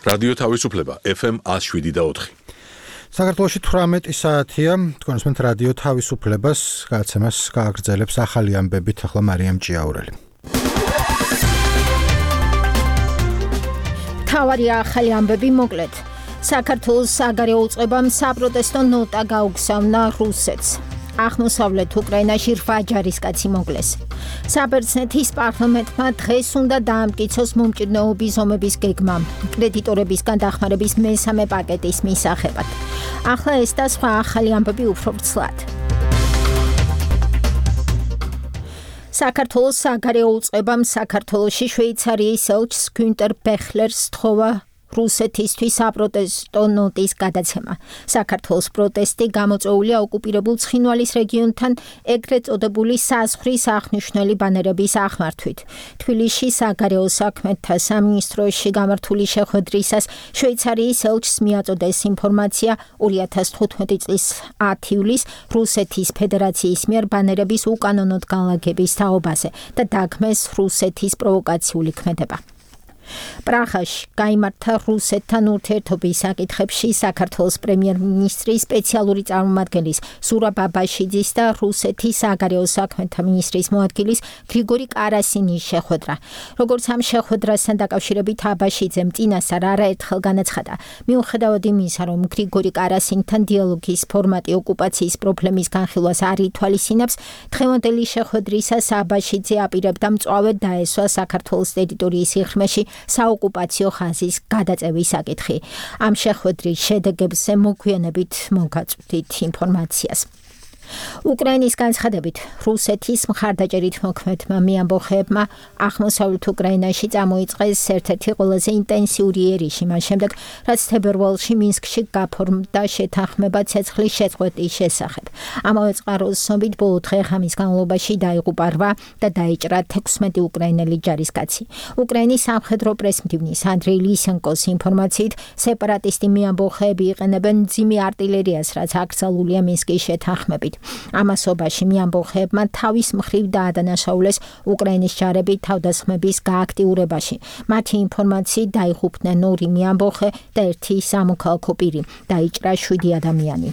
რადიო თავისუფლება FM 107.4. საქართველოში 18 საათია, თქვენსმენთ რადიო თავისუფლებას გადაცემას გააგრძელებს ახალი ამბებით, ახლა მარიამ ჭიაურელი. თავარი ახალი ამბები მოკლედ. საქართველოს საგარეო უწყებამ საპროტესტო ნოტა გაუგზავნა რუსეთს. აღმოსავლეთ უკრაინაში 8 ჯარისკაცი მოკლეს. საბერძნეთის პარლამენტმა დღეს უნდა დაამტკიცოს მომჭირნეობის ომების გეგმა კრედიტორებისგან დახმარების მესამე პაკეტის მისაღებად. ახლა ეს და სხვა ახალი ამბები უფრო ვრცლად. საქართველოს საგარეო უწყებამ საქართველოში შვეიცარიის ელჩს გუნტერ ბეხლერს სთხოვა რუსეთისთვის საპროტესტო ნოტის გადაცემა. საქართველოს პროტესტი გამოწვეულია ოკუპირებულ ცხინვალის რეგიონთან ეგრეთ წოდებული საზღვრის აღნიშნული ბანერების ახმართვით. თბილისში საგარეო საქმეთა სამინისტროში გამართული შეხვედრისას შვეიცარიის ელჩს მიაწოდეს ინფორმაცია 2015 წლის 10 ივლისს რუსეთის ფედერაციის მიერ ბანერების უკანონოდ განლაგების თაობაზე და დაგმეს რუსეთის პროვოკაციული ქმედება. პრაღაში გაიმართა რუსეთთან ურთიერთობის საკითხებში საქართველოს პრემიერ-მინისტრის სპეციალური წარმომადგენლის ზურაბ აბაშიძის და რუსეთის საგარეო საქმეთა მინისტრის მოადგილის გრიგორი კარასინის შეხვედრა. როგორც ამ შეხვედრასთან დაკავშირებით აბაშიძემ წინასწარ არაერთხელ განაცხადა, მიუხედავად იმისა, რომ გრიგორი კარასინთან დიალოგის ფორმატი ოკუპაციის პრობლემის განხილვას არ ითვალისწინებს, დღევანდელი შეხვედრისას აბაშიძე აპირებდა მწვავედ დაესვა საქართველოს ტერიტორიის სიღრმეში საოკუპაციო ხაზის გადაწევის საკითხი. ამ შეხვედრის შედეგებზე მოგვიანებით მოგაწვდით ინფორმაციას. უკრაინის განცხადებით, რუსეთის მხარდაჭერით მოქმედმა მეამბოხეებმა აღმოსავლეთ უკრაინაში წამოიწყეს ერთ-ერთი ყველაზე ინტენსიური ერიში, მას შემდეგ, რაც თებერვალში მინსკში გაფორმდა შეთანხმება ცეცხლის შეწყვეტის შესახებ. ამავე წყაროს ცნობით, ბოლო დღე-ღამის განმავლობაში დაიღუპა 8 და დაიჭრა 16 უკრაინელი ჯარისკაცი. უკრაინის სამხედრო პრესმდივნის ანდრეი ლისენკოს ინფორმაციით, სეპარატისტი მეამბოხეები იყენებენ მძიმე არტილერიას, რაც აკრძალულია მინსკის შეთანხმებით. ამასობაში მეამბოხეებმა თავის მხრივ დაადანაშაულეს უკრაინის ჯარები თავდასხმების გააქტიურებაში. მათი ინფორმაციით დაიღუპნენ 2 მეამბოხე და 1 სამოქალაქო პირი. დაიჭრა 7 ადამიანი.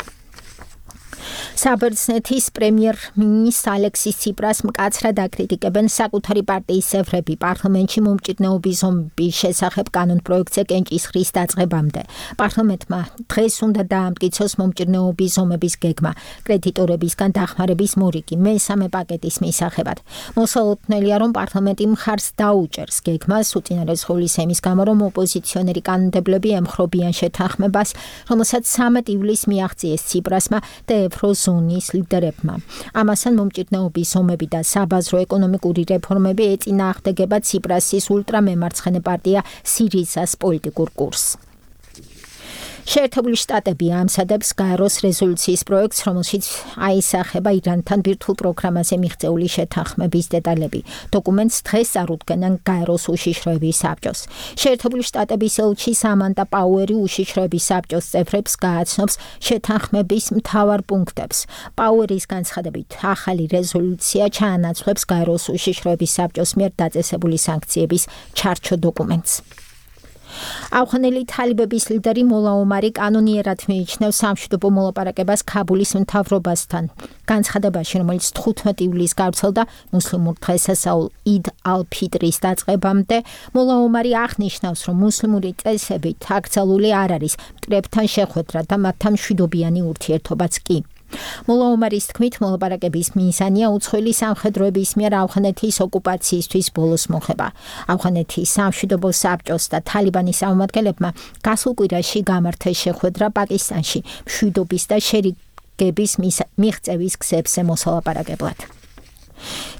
საბერძნეთის პრემიერ-მინისტრ ალექსის ციპრას მკაცრად აკრიტიკებენ საკუთარი პარტიის წევრები პარლამენტში მომჭირნეობის ომების შესახებ კანონპროექტზე კენჭისყრის დაწყებამდე. პარლამენტმა დღეს უნდა დაამტკიცოს მომჭირნეობის ომების გეგმა კრედიტორებისგან დახმარების მორიგი მესამე პაკეტის მისაღებად. მოსალოდნელია, რომ პარლამენტი მხარს დაუჭერს გეგმას უწინარესხული ემის გამო, რომ ოპოზიციონერი კანონმდებლები ემხრობიან შეთანხმებას, რომელსაც 13 ივლისს მიაღწიეს ციპრასმა და ევროზონის ლიდერებმა. ამასთან მომჭირნეობის ომები და საბაზრო ეკონომიკური რეფორმები ეწინააღმდეგება ციპრასის ულტრამემარცხენე პარტია სირიზას პოლიტიკურ კურსს. შეერთებული შტატები ამსადებს გაეროს რეზოლუციის პროექტს, რომელშიც აისახება ირანთან ბირთვულ პროგრამაზე მიღწეული შეთანხმების დეტალები. დოკუმენტს დღეს წარუდგენენ გაეროს უშიშროების საბჭოს. შეერთებული შტატების ელჩი სამანტა პაუერი უშიშროების საბჭოს წევრებს გააცნობს შეთანხმების მთავარ პუნქტებს. პაუერის განცხადებით, ახალი რეზოლუცია ჩაანაცვლებს გაეროს უშიშროების საბჭოს მიერ დაწესებული სანქციების ჩარჩო დოკუმენტს. ავღანელი თალიბების ლიდერი მოლა ომარი კანონიერად მიიჩნევს სამშვიდობო მოლაპარაკებას ქაბულის მთავრობასთან. განცხადებაში, რომელიც 15 ივლისს გავრცელდა მუსლიმურ დღესასწაულ იდ ალ-ფიტრის დაწყებამდე, მოლა ომარი აღნიშნავს, რომ მუსლიმური წესებით აკრძალული არ არის მტრებთან შეხვედრა და მათთან მშვიდობიანი ურთიერთობაც კი. მოლა ომარის თქმით, მოლაპარაკების მიზანია უცხოელი სამხედროების მიერ ავღანეთის ოკუპაციისთვის ბოლოს მოხება. ავღანეთის სამშვიდობო საბჭოს და თალიბანის წარმომადგენლებმა გასულ კვირაში გამართეს შეხვედრა პაკისტანში მშვიდობის და შერიგების მიღწევის გზებზე მოსალაპარაკებლად.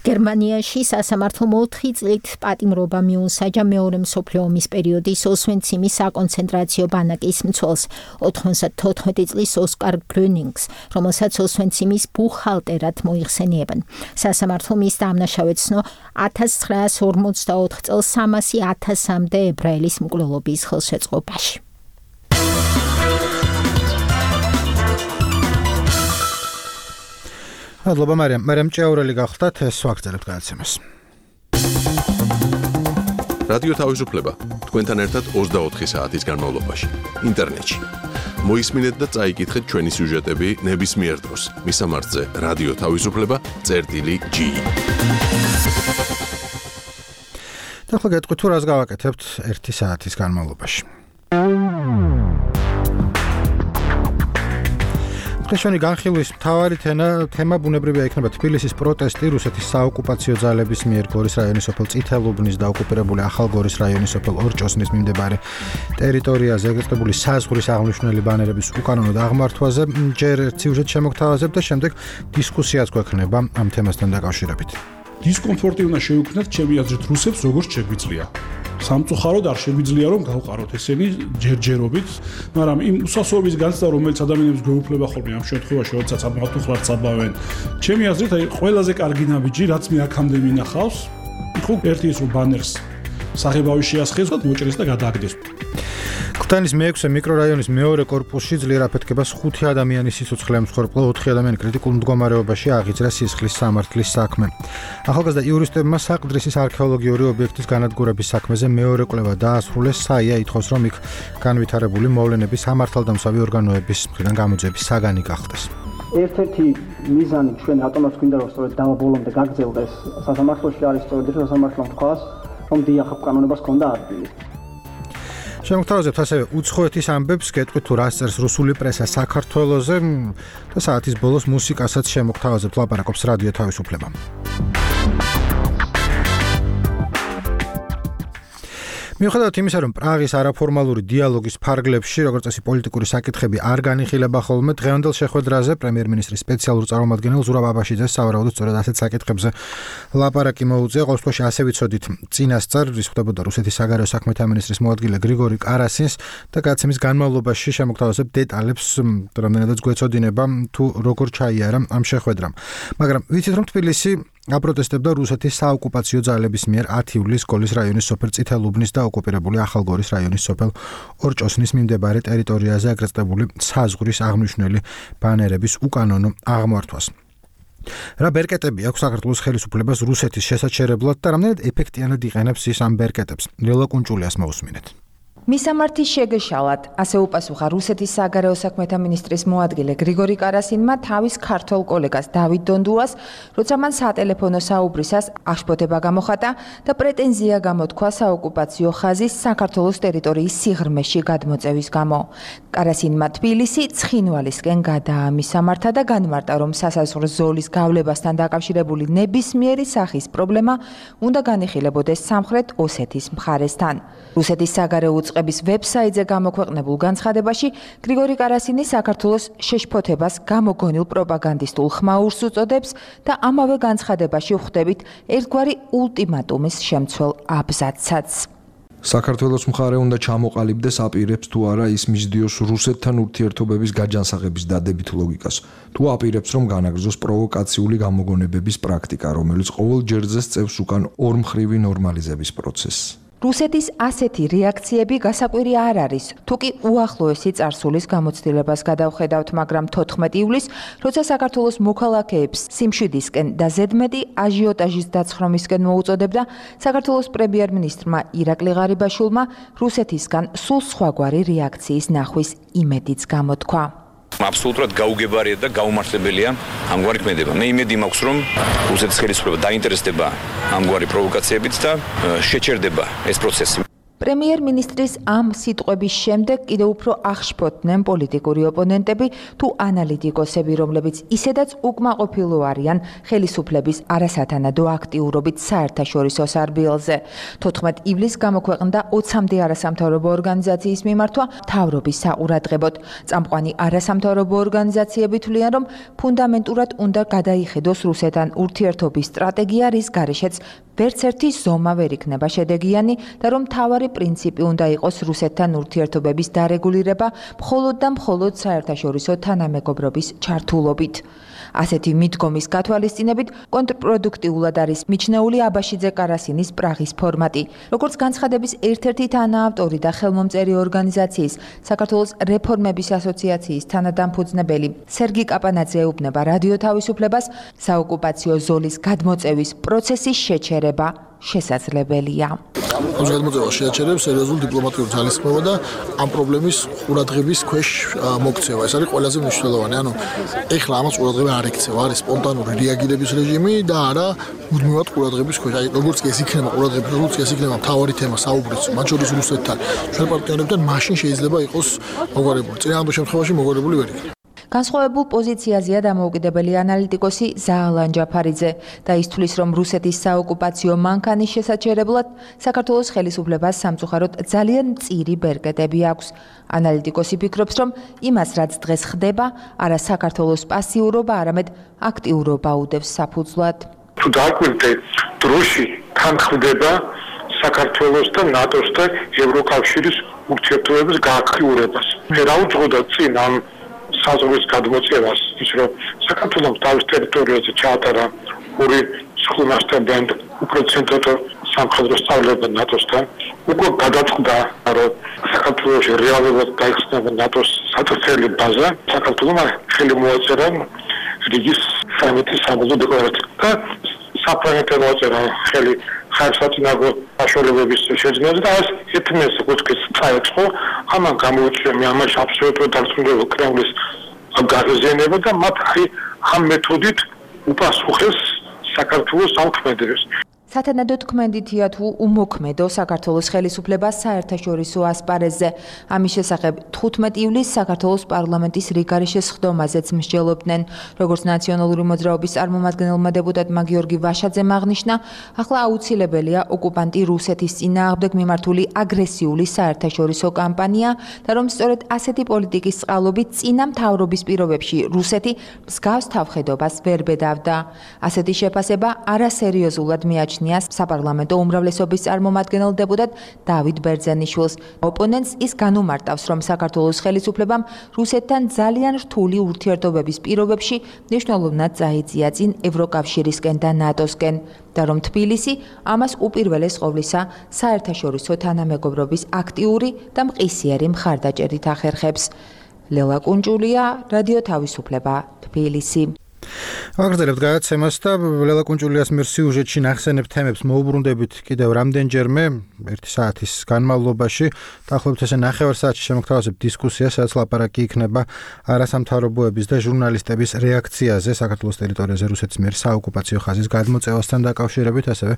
გერმანიაში სასამართლომ 4 წლით პატიმრობა მიუსაჯა მეორე მსოფლიო ომის პერიოდის ოსვენციმის საკონცენტრაციო ბანაკის მცველს 94 წლის ოსკარ გრუნინგს, რომელსაც ოსვენციმის ბუხალტერად მოიხსენიებენ. სასამართლომ ის დამნაშავედ ცნო 1944 წელს 300.000-მდე ებრაელის მკვლელობის ხელშეწყობაში. მადლობა მარიამ ჭიაურელი გახლდათ, ეს ვაგრძელებთ გადაცემას. რადიო თავისუფლება თქვენთან ერთად 24 საათის განმავლობაში ინტერნეტში. მოისმინეთ და წაიკითხეთ ჩვენი სიუჟეტები ნებისმიერ დროს. მისამართზე რადიო თავისუფლება.gi. და ხო გეტყვით თუ რას გავაკეთებთ 1 საათის განმავლობაში. დღეშვენი განხილვის მთავარი თემა ბუნებრივია იქნება თბილისის პროტესტი რუსეთის საოკუპაციო ძალების მიერ გორის რაიონის სოფელ წითელუბნის და ოკუპირებული ახალგორის რაიონის სოფელ ორჭოსნის მიმდებარე ტერიტორიაზე ეგრეთებული საზღვრის აღმნიშვნელი ბანერების უკანონოდ აღმართვაზე. ჯერ სიუჟეტ შემოგთავაზებ და შემდეგ დისკუსიაც გვექნება ამ თემასთან დაკავშირებით. დისკომფორტი უნდა შევიქმნათ ჩემი აზრით რუსებს როგორც შეგვიძლია. სამწუხაროდ არ შეგვიძლია რომ გავყაროთ ესენი ჯერჯერობით, მაგრამ იმ უსასოების განცდა რომელიც ადამიანებს გვეუფლება ხოლმე ამ შემთხვევაში, როდესაც ამათუხლად საბავენ. ჩემი აზრით აი ყველაზე კარგი ნაბიჯი რაც მე აქამდე მინახავს, ხო ერთი ის რომ ბანერს საღებავი შეასხეს და მოჭრეს და გადააგდეს. ქუთაისის მე-6 მიკრორაიონის მეორე კორპუსში ძლიერ აფეთქებას 5 ადამიანის სიცოცხლე ემსხვერპლა, 4 ადამიანი კრიტიკულ მდგომარეობაში აღიძრა სისხლის სამართლის საქმე. ახალგაზრდა იურისტებმა საყდრისის არქეოლოგიური ობიექტის განადგურების საქმეზე მეორე კვლევა დაასრულეს. საია ითხოვს, რომ იქ განვითარებული მოვლენების სამართალდამცავი ორგანოების მხრიდან გამოძიების საგანი გახდეს. ერთ-ერთი მიზანი ჩვენ რატომაც გვინდა რომ სწორედ დავაბოლომდე გაგრძელდეს სასამართლოში არის სწორედ სასამართლომ თქვას, რომ დიახ კანონებას ჰქონდა ადგილი. შემოგთავაზებთ ასევე უცხოეთის ამბებს, გეტყვით თუ რას წერს რუსული პრესა საქართველოზე და საათის ბოლოს მუსიკასაც შემოგთავაზებთ, ლაპარაკობს რადიო თავისუფლება. მიუხედავად იმისა, რომ პრაღის არაფორმალური დიალოგის ფარგლებში, როგორც წესი, პოლიტიკური საკითხები არ განიხილება ხოლმე, დღევანდელ შეხვედრაზე პრემიერ-მინისტრის სპეციალურ წარმომადგენელ ზურაბ აბაშიძეს სავარაუდოდ სწორედ ასეთ საკითხებზე ლაპარაკი მოუწია. ყოველ შემთხვევაში ასე ვიცოდით წინასწარ, რის ხდებოდა რუსეთის საგარეო საქმეთა მინისტრის მოადგილე გრიგორი კარასინს და გადაცემის განმავლობაში შემოგთავაზებ დეტალებს, რამდენადაც გვეცოდინება თუ როგორ ჩაიარა ამ შეხვედრამ. მაგრამ ვიცით, რომ თბილისი აპროტესტებდა რუსეთის საოკუპაციო ძალების მიერ 10 ივლისს გორის რაიონის სოფელ წითელუბნის და ოკუპირებული ახალგორის რაიონის სოფელ ორჭოსნის მიმდებარე ტერიტორიაზე აკრიტიკებული საზღვრის აღმნიშვნელი ბანერების უკანონო აღმართვას. რა ბერკეტები აქვს საქართველოს ხელისუფლებას რუსეთის შესაჩერებლად და რამდენად ეფექტიანად იყენებს ის ამ ბერკეტებს? ლელა კუნჭულიას მოусმინეთ. მისამართის შეგეშალად, ასე უპასუხა რუსეთის საგარეო საქმეთა მინისტრის მოადგილე გრიგორი კარასინმა თავის ქართველ კოლეგას დავით დონდუას, როცა მან სატელეფონო საუბრისას აღშფოთება გამოხატა და პრეტენზია გამოთქვა საოკუპაციო ხაზის საქართველოს ტერიტორიის სიღრმეში გადმოწევის გამო. კარასინმა თბილისი ცხინვალისკენ გადაამისამართა და განმარტა, რომ სასაზღვრო ზოლის გავლებასთან დაკავშირებული ნებისმიერი სახის პრობლემა უნდა განიხილებოდეს სამხრეთ ოსეთის მხარესთან. რუსეთის საგარეო უწყების ვებსაიტზე გამოქვეყნებულ განცხადებაში გრიგორი კარასინი საქართველოს შეშფოთებას გამოგონილ პროპაგანდისტულ ხმაურს უწოდებს და ამავე განცხადებაში ვხვდებით ერთგვარი ულტიმატუმის შემცველ აბზაცსაც. საქართველოს მხარე უნდა ჩამოყალიბდეს აპირებს თუ არა ის მისდიოს რუსეთთან ურთიერთობების გაჯანსაღების დადებით ლოგიკას, თუ აპირებს რომ განაგრძოს პროვოკაციული გამოგონებების პრაქტიკა, რომელიც ყოველ ჯერზე სწევს უკან ორმხრივი ნორმალიზების პროცესს. რუსეთის ასეთი რეაქციები გასაკვირი არ არის, თუ კი უახლოესი წარსულის გამოცდილებას გადავხედავთ, მაგრამ 14 ივლისს, როცა საქართველოს მოქალაქეებს სიმშვიდისკენ და ზედმეტი აჟიოტაჟის დაცხრომისკენ მოუწოდებდა, საქართველოს პრემიერ-მინისტრმა ირაკლი ღარიბაშვილმა რუსეთისგან სულ სხვაგვარი რეაქციის ნახვის იმედიც გამოთქვა. აბსოლუტურად გაუგებარია და გაუმართლებელია ამგვარი ქმედება. მე იმედი მაქვს, რომ რუსეთის ხელისუფლება დაინტერესდება ამგვარი პროვოკაციებით და შეჩერდება ეს პროცესი. პრემიერ-მინისტრის ამ სიტყვების შემდეგ კიდევ უფრო აღშფოთდნენ პოლიტიკური ოპონენტები თუ ანალიტიკოსები, რომლებიც ისედაც უკმაყოფილო არიან ხელისუფლების არასათანადო აქტიურობით საერთაშორისო სარბიელზე. 14 ივლისს გამოქვეყნდა 20-მდე არასამთავრობო ორგანიზაციის მიმართვა მთავრობის საყურადღებოდ. წამყვანი არასამთავრობო ორგანიზაციები თვლიან, რომ ფუნდამენტურად უნდა გადაიხედოს რუსეთთან ურთიერთობის სტრატეგია, რის გარეშეც ვერც ერთი ზომა ვერ იქნება შედეგიანი და რომ მთავარი პრინციპი უნდა იყოს რუსეთთან ურთიერთობების დარეგულირება მხოლოდ და მხოლოდ საერთაშორისო თანამეგობრობის ჩართულობით. ასეთი მიდგომის გათვალისწინებით კონტრპროდუქტიულად არის მიჩნეული აბაშიძე კარასინის პრაღის ფორმატი. როგორც განცხადების ერთ-ერთი თანაავტორი და ხელმომწერი ორგანიზაციის საქართველოს რეფორმების ასოციაციის თანადამფუძნებელი სერგი კაპანაძე ეუბნება რადიო თავისუფლებას, საოკუპაციო ზოლის გადმოწევის პროცესის შეჩერება შესაძლებელია. ამის გადმოწევა შეაჩერებს სერიოზულ დიპლომატიურ ძალისხმევა და ამ პრობლემის ყურადღების ქვეშ მოქცევა. ეს არის ყველაზე მნიშვნელოვანი. ანუ ეხლა ამას ყურადღება არ ექცევა, არის სპონტანური რეაგირების რეჟიმი და არა მუდმივად ყურადღების ქვეშ. აი როგორც კი ეს იქნება ყურადღების, როგორც კი ეს იქნება მთავარი თემა საუბრიც, მათ შორის რუსეთთან, ჩვენ პარტნიორებთან, მაშინ შეიძლება იყოს მოგვარებული. წინააღმდეგ შემთხვევაში მოგვარებული ვერ იქნება. განსხვავებულ პოზიციაზეა დამოუკიდებელი ანალიტიკოსი ზაალან ჯაფარიძე და ის თვლის, რომ რუსეთის საოკუპაციო მანქანის შესაჩერებლად საქართველოს ხელისუფლებას სამწუხაროდ ძალიან მწირი ბერკეტები აქვს. ანალიტიკოსი ფიქრობს, რომ იმას, რაც დღეს ხდება, არა საქართველოს პასიურობა, არამედ აქტიურობა უდევს საფუძვლად. თუ დააკვირდეთ, დროში თან ხდება საქართველოს და ნატოს და ევროკავშირის ურთიერთობების გააქტიურებას. რა უძღოდა წინ ამ საზღვრის გადმოწევას, ის რომ საქართველოს თავის ტერიტორიაზე ჩაატარა ორი სხდომასთან უფრო ცენტრალურ სამხედრო სწავლება ნატოსთან, უკვე გადაწყდა, რომ საქართველოში რეალურად გაიხსნება ნატოს საწვრთნელი ბაზა, საქართველოს ხელი მოაწერა რიგის სამეთის საბრძოლო დეკლარაცია და საფრანგეთმა მოაწერა ხელი ხარსათინაგო საშუალებების შეძენაზე და ეს ეთნეს კუჩკის წაეწყო, ამან გამოუჩია მე ამაში აბსოლუტურად დარწმუნებული კრემლის გაღიზიანება და მათ ამ მეთოდით უპასუხეს საქართველოს სამქმედებს. სათანადო თქმედითია თუ უმოქმედო საქართველოს ხელისუფლებას საერთაშორისო ასპარეზზე. ამის შესახებ 15 ივლისს საქართველოს პარლამენტის რიგარეშე სხდომაზეც მსჯელობდნენ. როგორც ნაციონალური მოძრაობის წარმომადგენელმა დეპუტატმა გიორგი ვაშაძემ აღნიშნა, ახლა აუცილებელია ოკუპანტი რუსეთის წინააღმდეგ მიმართული აგრესიული საერთაშორისო კამპანია და რომ სწორედ ასეთი პოლიტიკის წყალობით წინა მთავრობის პირობებში რუსეთი მსგავს თავხედობას ვერ ბედავდა. ასეთი შეფასება არასერიოზულად მიაჩნია საპარლამენტო უმრავლესობის წარმომადგენელ დეპუტატ დავით ბერძენიშვილს. ოპონენტს ის განუმარტავს, რომ საქართველოს ხელისუფლებამ რუსეთთან ძალიან რთული ურთიერთობების პირობებში მნიშვნელოვნად წაიწია წინ ევროკავშირისკენ და ნატოსკენ და რომ თბილისი ამას უპირველეს ყოვლისა საერთაშორისო თანამეგობრობის აქტიური და მყისიერი მხარდაჭერით ახერხებს. ლელა კუნჭულია, რადიო თავისუფლება, თბილისი. ვაგრძელებთ გადაცემას და ლელა კუნჭულიას მიერ სიუჟეტში ნახსენებ თემებს მოუბრუნდებით კიდევ რამდენჯერმე 1 საათის განმავლობაში. დაახლოებით ესე ნახევარ საათში შემოგთავაზებთ დისკუსიას, სადაც ლაპარაკი იქნება არასამთავრობოების და ჟურნალისტების რეაქციაზე საქართველოს ტერიტორიაზე რუსეთის მიერ საოკუპაციო ხაზის გადმოწევასთან დაკავშირებით, ასევე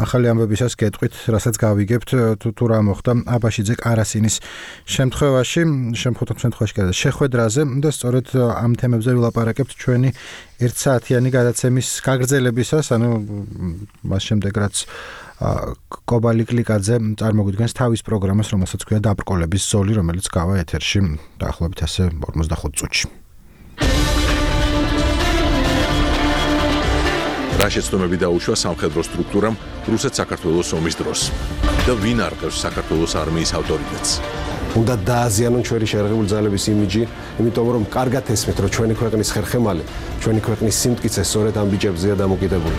ახალი ამბებისას გეტყვით, რასაც გავიგებთ თუ რა მოხდა აბაშიძე კარასინის შემთხვევაში შეხვედრაზე და სწორედ ამ თემებზე ვილაპარაკებთ ჩვენი 1 საათიანი გადაცემის გაგრძელებისას, ანუ მას შემდეგ რაც კობალი კლიკაძე წარმოგვიდგენს თავის პროგრამას, რომელსაც ქვია დაბრკოლების ზოლი, რომელიც გავა ეთერში დაახლოებით ასე 45 წუთში. რა შეცდომები დაუშვა სამხედრო სტრუქტურამ რუსეთ-საქართველოს ომის დროს და ვინ არყევს საქართველოს არმიის ავტორიტეტს? უნდა დააზიანონ ჩვენი შერღებული ძალების იმიჯი, იმიტომ რომ კარგად ესმით, რომ ჩვენი ქვეყნის ხერხემალი, ჩვენი ქვეყნის სიმტკიცე სწორედ ამ ბიჭებზეა დამოკიდებული.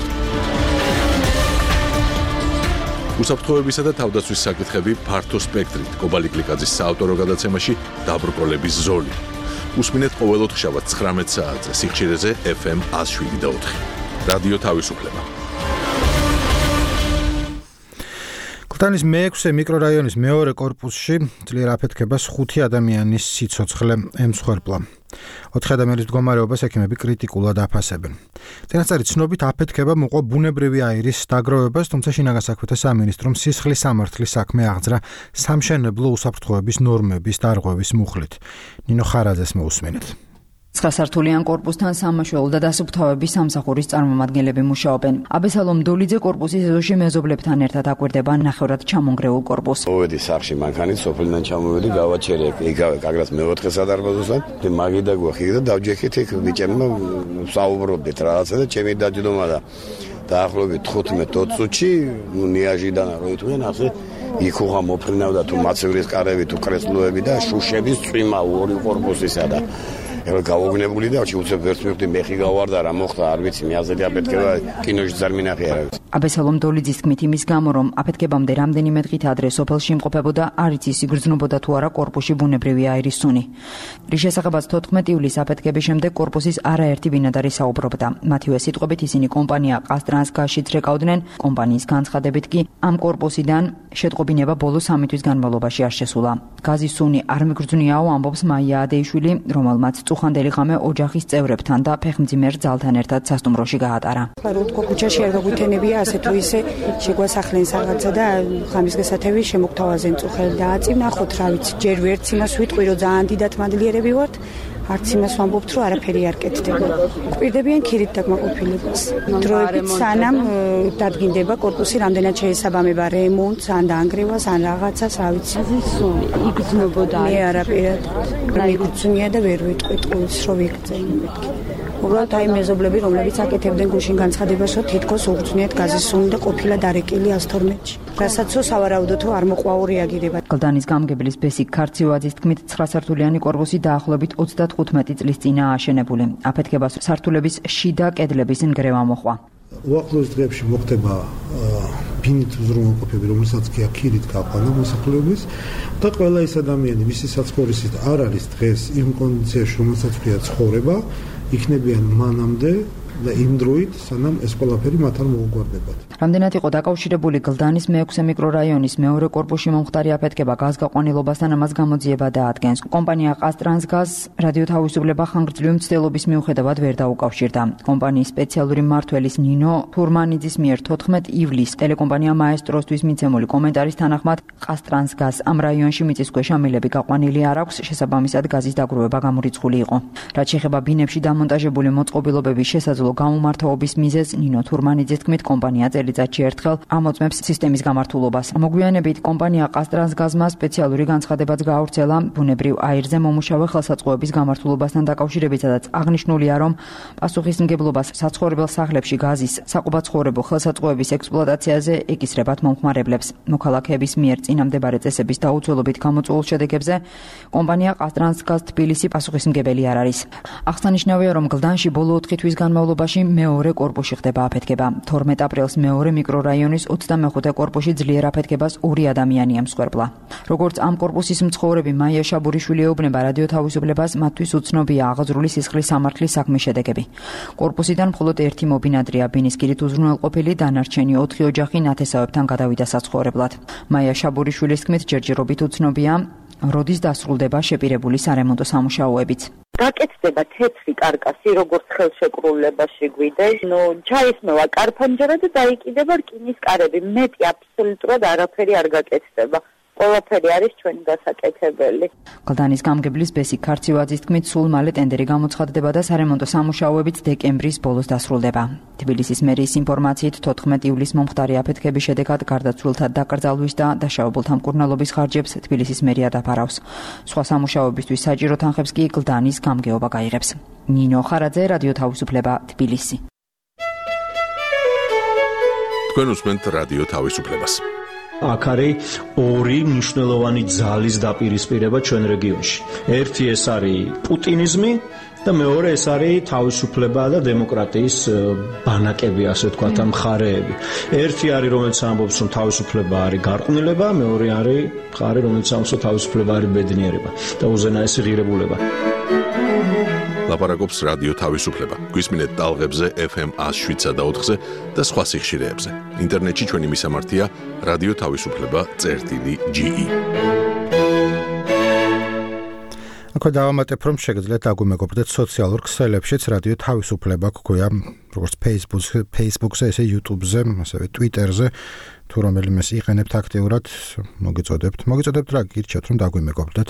უსაფრთხოებისა და თავდაცვის საკითხები ფართო სპექტრით კობალი კლიკაძის საავტორო გადაცემაში დაბრკოლების ზოლი. უსმინეთ ყოველ ოთხშაბათს 19 საათზე სიხშირეზე FM 107.4. რადიო თავისუფლება. ქუთაისის მე-6 მიკრორაიონის მეორე კორპუსში ძლიერ აფეთქებას 5 ადამიანის სიცოცხლე ემსხვერპლა. 4 ადამიანის მდგომარეობას ექიმები კრიტიკულად აფასებენ. წინასწარი ცნობით აფეთქება მოყვა ბუნებრივი აირის დაგროვებას, თუმცა შინაგან საქმეთა სამინისტრომ სისხლის სამართლის საქმე აღძრა სამშენებლო უსაფრთხოების ნორმების დარღვევის მუხლით. ნინო ხარაძეს მოусმინეთ. 9 სართულიან კორპუსთან სამმართველო და დასუფთავების სამსახურის წარმომადგენლები მუშაობენ. აბესალომ დოლიძე კორპუსის ეზოში მეზობლებთან ერთად აკვირდება ნახევრად ჩამონგრეულ კორპუსს. მოვედი სახში მანქანით, სოფლიდან ჩამოვედი, გავაჩერე იგავე კაგრას მე-4 სადარბაზოსთან, და მაგიდა გვახი და დავჯექით იქ ბიჭებმა საუბრობდით რაღაცა და ჩემი დაჯდომა და დაახლოებით 15-20 წუთში ნიაჟიდან რო იტყვიან ასე იქ უღა მოფრინავდა თუ მაცევრის კარები თუ კრესლოები და შუშების წვიმა ორი კორპუსისა და გავოგნებული და უცებ ვერც მივხვდი მეხი გავარდა რა მოხდა არ ვიცი მე აზრი აფეთქება კინოში ძარ მინახე არა აბესალომ დოლიძის თქმით იმის გამო რომ აფეთქებამდე რამდენიმე დღით ადრე სოფელში იმყოფებოდა არ იცის იგრძნობოდა თუ არა კორპუსში ბუნებრივი აირის სუნი. რის შესახებაც 14 ივლისს აფეთქების შემდეგ კორპუსის არაერთი ბინადარი საუბრობდა. მათივე სიტყვებით ისინი კომპანია ყაზტრანსგაზშიც რეკავდნენ. კომპანიის განცხადებით კი ამ კორპუსიდან შეტყობინება ბოლო 3 თვის განმავლობაში არ შესულა. გაზის სუნი არ მიგრძნიაო, ამბობს მაია ადეიშვილი, რომელმაც წუხანდელი ღამე ოჯახის წევრებთან და ფეხმძიმერ ძალთან ერთად სასტუმროში გაატარა. რო თქო ქუჩაში არ გაგვითენებია, ასე თუ ისე შეგვასახლენ რაღაცა და ღამის გასათევი შემოგთავაზენ წუხელი და აწინახოთ, რა ვიცი, ჯერ ვერც იმას ვიტყვი, რომ ძალიან დიდად მადლიერები ვართ. არც იმას ვამბობთ, რომ არაფერი არ კეთდება. გვპირდებიან ქირით დაკმაყოფილებას. დროებით სანამ დადგინდება კორპუსი, რამდენად შეესაბამება რემონტს, ან დაანგრევას, ან რაღაცას, რა ვიცი. იგრძნობოდა. მე არაფერად. მიგრძნია და ვერ ვიტყვი ტყუილს, რომ ვიგრძენ მეთქი. უბრალოდ აი მეზობლები, რომლებიც აკეთებდნენ გუშინ განცხადებას, რომ თითქოს უგრძნიათ გაზის სუნი და ყოფილა დარეკილი 112-ში. რასაც სავარაუდოდ არ მოყვაო რეაგირება. კლდანის გამგებლის ბესიკ ქარცივაძის თქმით 9 სართულიანი კორპუსი დაახლოებით 35 წლის წინა აშენებული. აფეთქებას სართულების შიდა კედლების ნგრევა მოჰყვა. უახლოეს დღეებში მოხდება ბინით უზრუნველყოფები, რომელსაც კი აქირით გაყვანა მოსახლეობის და ყველა ის ადამიანი, ვისი საცხოვრისით არ არის დღეს იმ კონდიციაში, რომელსაც ქვია ცხოვრება, იქნებიან მანამდე და იმ დროით, სანამ ეს ყველაფერი მათ არ მოუგვარდებათ. რამდენად იყო დაკავშირებული გლდანის მე-6 მიკრორაიონის მეორე კორპუსში მომხდარი აფეთქება გაზგაყვანილობასთან, ამას გამოძიება დაადგენს. კომპანია ყაზტრანსგაზ რადიო თავისუფლება ხანგრძლივი მცდელობის მიუხედავად ვერ დაუკავშირდა. კომპანიის სპეციალური მმართველის ნინო თურმანიძის მიერ 14 ივლისს ტელეკომპანია მაესტროსთვის მიცემული კომენტარის თანახმად ყაზტრანსგაზ ამ რაიონში მიწისქვეშა მილები გაყვანილი არ აქვს, შესაბამისად გაზის დაგროვება გამორიცხული იყო. რაც შეეხება ბინებში დამონტაჟებული მოწყობილობების შესაძლო გამომართვების მიზეზს, ნინო თურმანიძის თქმით, კომპანია წელიწადში ერთხელ ამოწმებს სისტემის გამართულობას. მოგვიანებით კომპანია ყაზტრანსგაზმა სპეციალური განცხადებაც გაავრცელა ბუნებრივ აირზე მომუშავე ხელსაწყოების გამართულობასთან დაკავშირებით, სადაც აღნიშნულია, რომ პასუხისმგებლობას საცხოვრებელ სახლებში გაზის საყუბაცხოვრებო ხელსაწყოების ექსპლუატაციაზე ეკისრებათ მომხმარებლებს. მოქალაქეების მიერ წინამდებარე წესების დაუცველობით გამოწვეულ შედეგებზე კომპანია ყაზტრანსგაზ თბილისი პასუხისმგებელი არ არის. აღსანიშნავია, რომ გლდანში ბოლო 4 თვის განმავლობაში მეორე კორპუსში ხდება აფეთქება. 12 აპრილს მეორე მიკრორაიონის 25 კორპუსში ძლიერ აფეთქებას 2 ადამიანი ემსხვერპლა. როგორც ამ კორპუსის მცხოვრები მაია შაბურიშვილი ეუბნება რადიო თავისუფლებას, მათთვის უცნობია აღძრული სისხლის სამართლის საქმის შედეგები. კორპუსიდან მხოლოდ ერთი მობინადრეა ბინის კირით უზრუნველყოფილი, დანარჩენი 4 ოჯახი ნათესავებთან გადავიდა საცხოვრებლად. მაია შაბურიშვილის თქმით, ჯერჯერობით უცნობია, როდის დასრულდება შეპირებული სარემონტო სამუშაოებიც. გაკეთდება თეთრი კარკასი, როგორც ხელშეკრულებაში გვიდეს. ჩაისმევა კარფანჯარა და დაიკიდება რკინის კარები. მეტი აბსოლუტურად არაფერი არ გაკეთდება. ყველაფერი არის ჩვენი გასაკეთებელი. გლდანის გამგებლის ბესიკ ქარცივაძის თქმით, სულ მალე ტენდერი გამოცხადდება და სარემონტო სამუშაოებიც დეკემბრის ბოლოს დასრულდება. თბილისის მერიის ინფორმაციით 14 ივლისს მომხდარი აფეთქების შედეგად გარდაცვლილთა დაკრძალვის და დაშავებულთა მკურნალობის ხარჯებს თბილისის მერია დაფარავს. სხვა სამუშაოებისთვის საჭირო თანხებს კი გლდანის გამგეობა გაიღებს. ნინო ხარაძე, რადიო თავისუფლება, თბილისი. თქვენ უსმენთ რადიო თავისუფლებას. აქ არის ორი მნიშვნელოვანი ძალის დაპირისპირება ჩვენ რეგიონში. ერთი ეს არის პუტინიზმი და მეორე ეს არის თავისუფლება და დემოკრატიის ბანაკები, ასე ვთქვათ, მხარეები. ერთი არის, რომელიც ამბობს, რომ თავისუფლება არის გარყვნილება, მეორე არის მხარე, რომელიც ამბობს, რომ თავისუფლება არის ბედნიერება და უზენაესი ღირებულება. ლაპარაკობს რადიო თავისუფლება. გვისმინეთ ტალღებზე FM 107.4-ზე და სხვა სიხშირეებზე. ინტერნეტში ჩვენი მისამართია რადიო თავისუფლება.ge. აქვე დავამატებ, რომ შეგიძლიათ დაგვიმეგობრდეთ სოციალურ ქსელებშიც რადიო თავისუფლება გქვია, როგორც Facebook-ზე, ესე YouTube-ზე, ასევე Twitter-ზე, თუ რომელიმეს იყენებთ აქტიურად, მოგიწოდებთ რა გირჩევთ, რომ დაგვიმეგობრდეთ.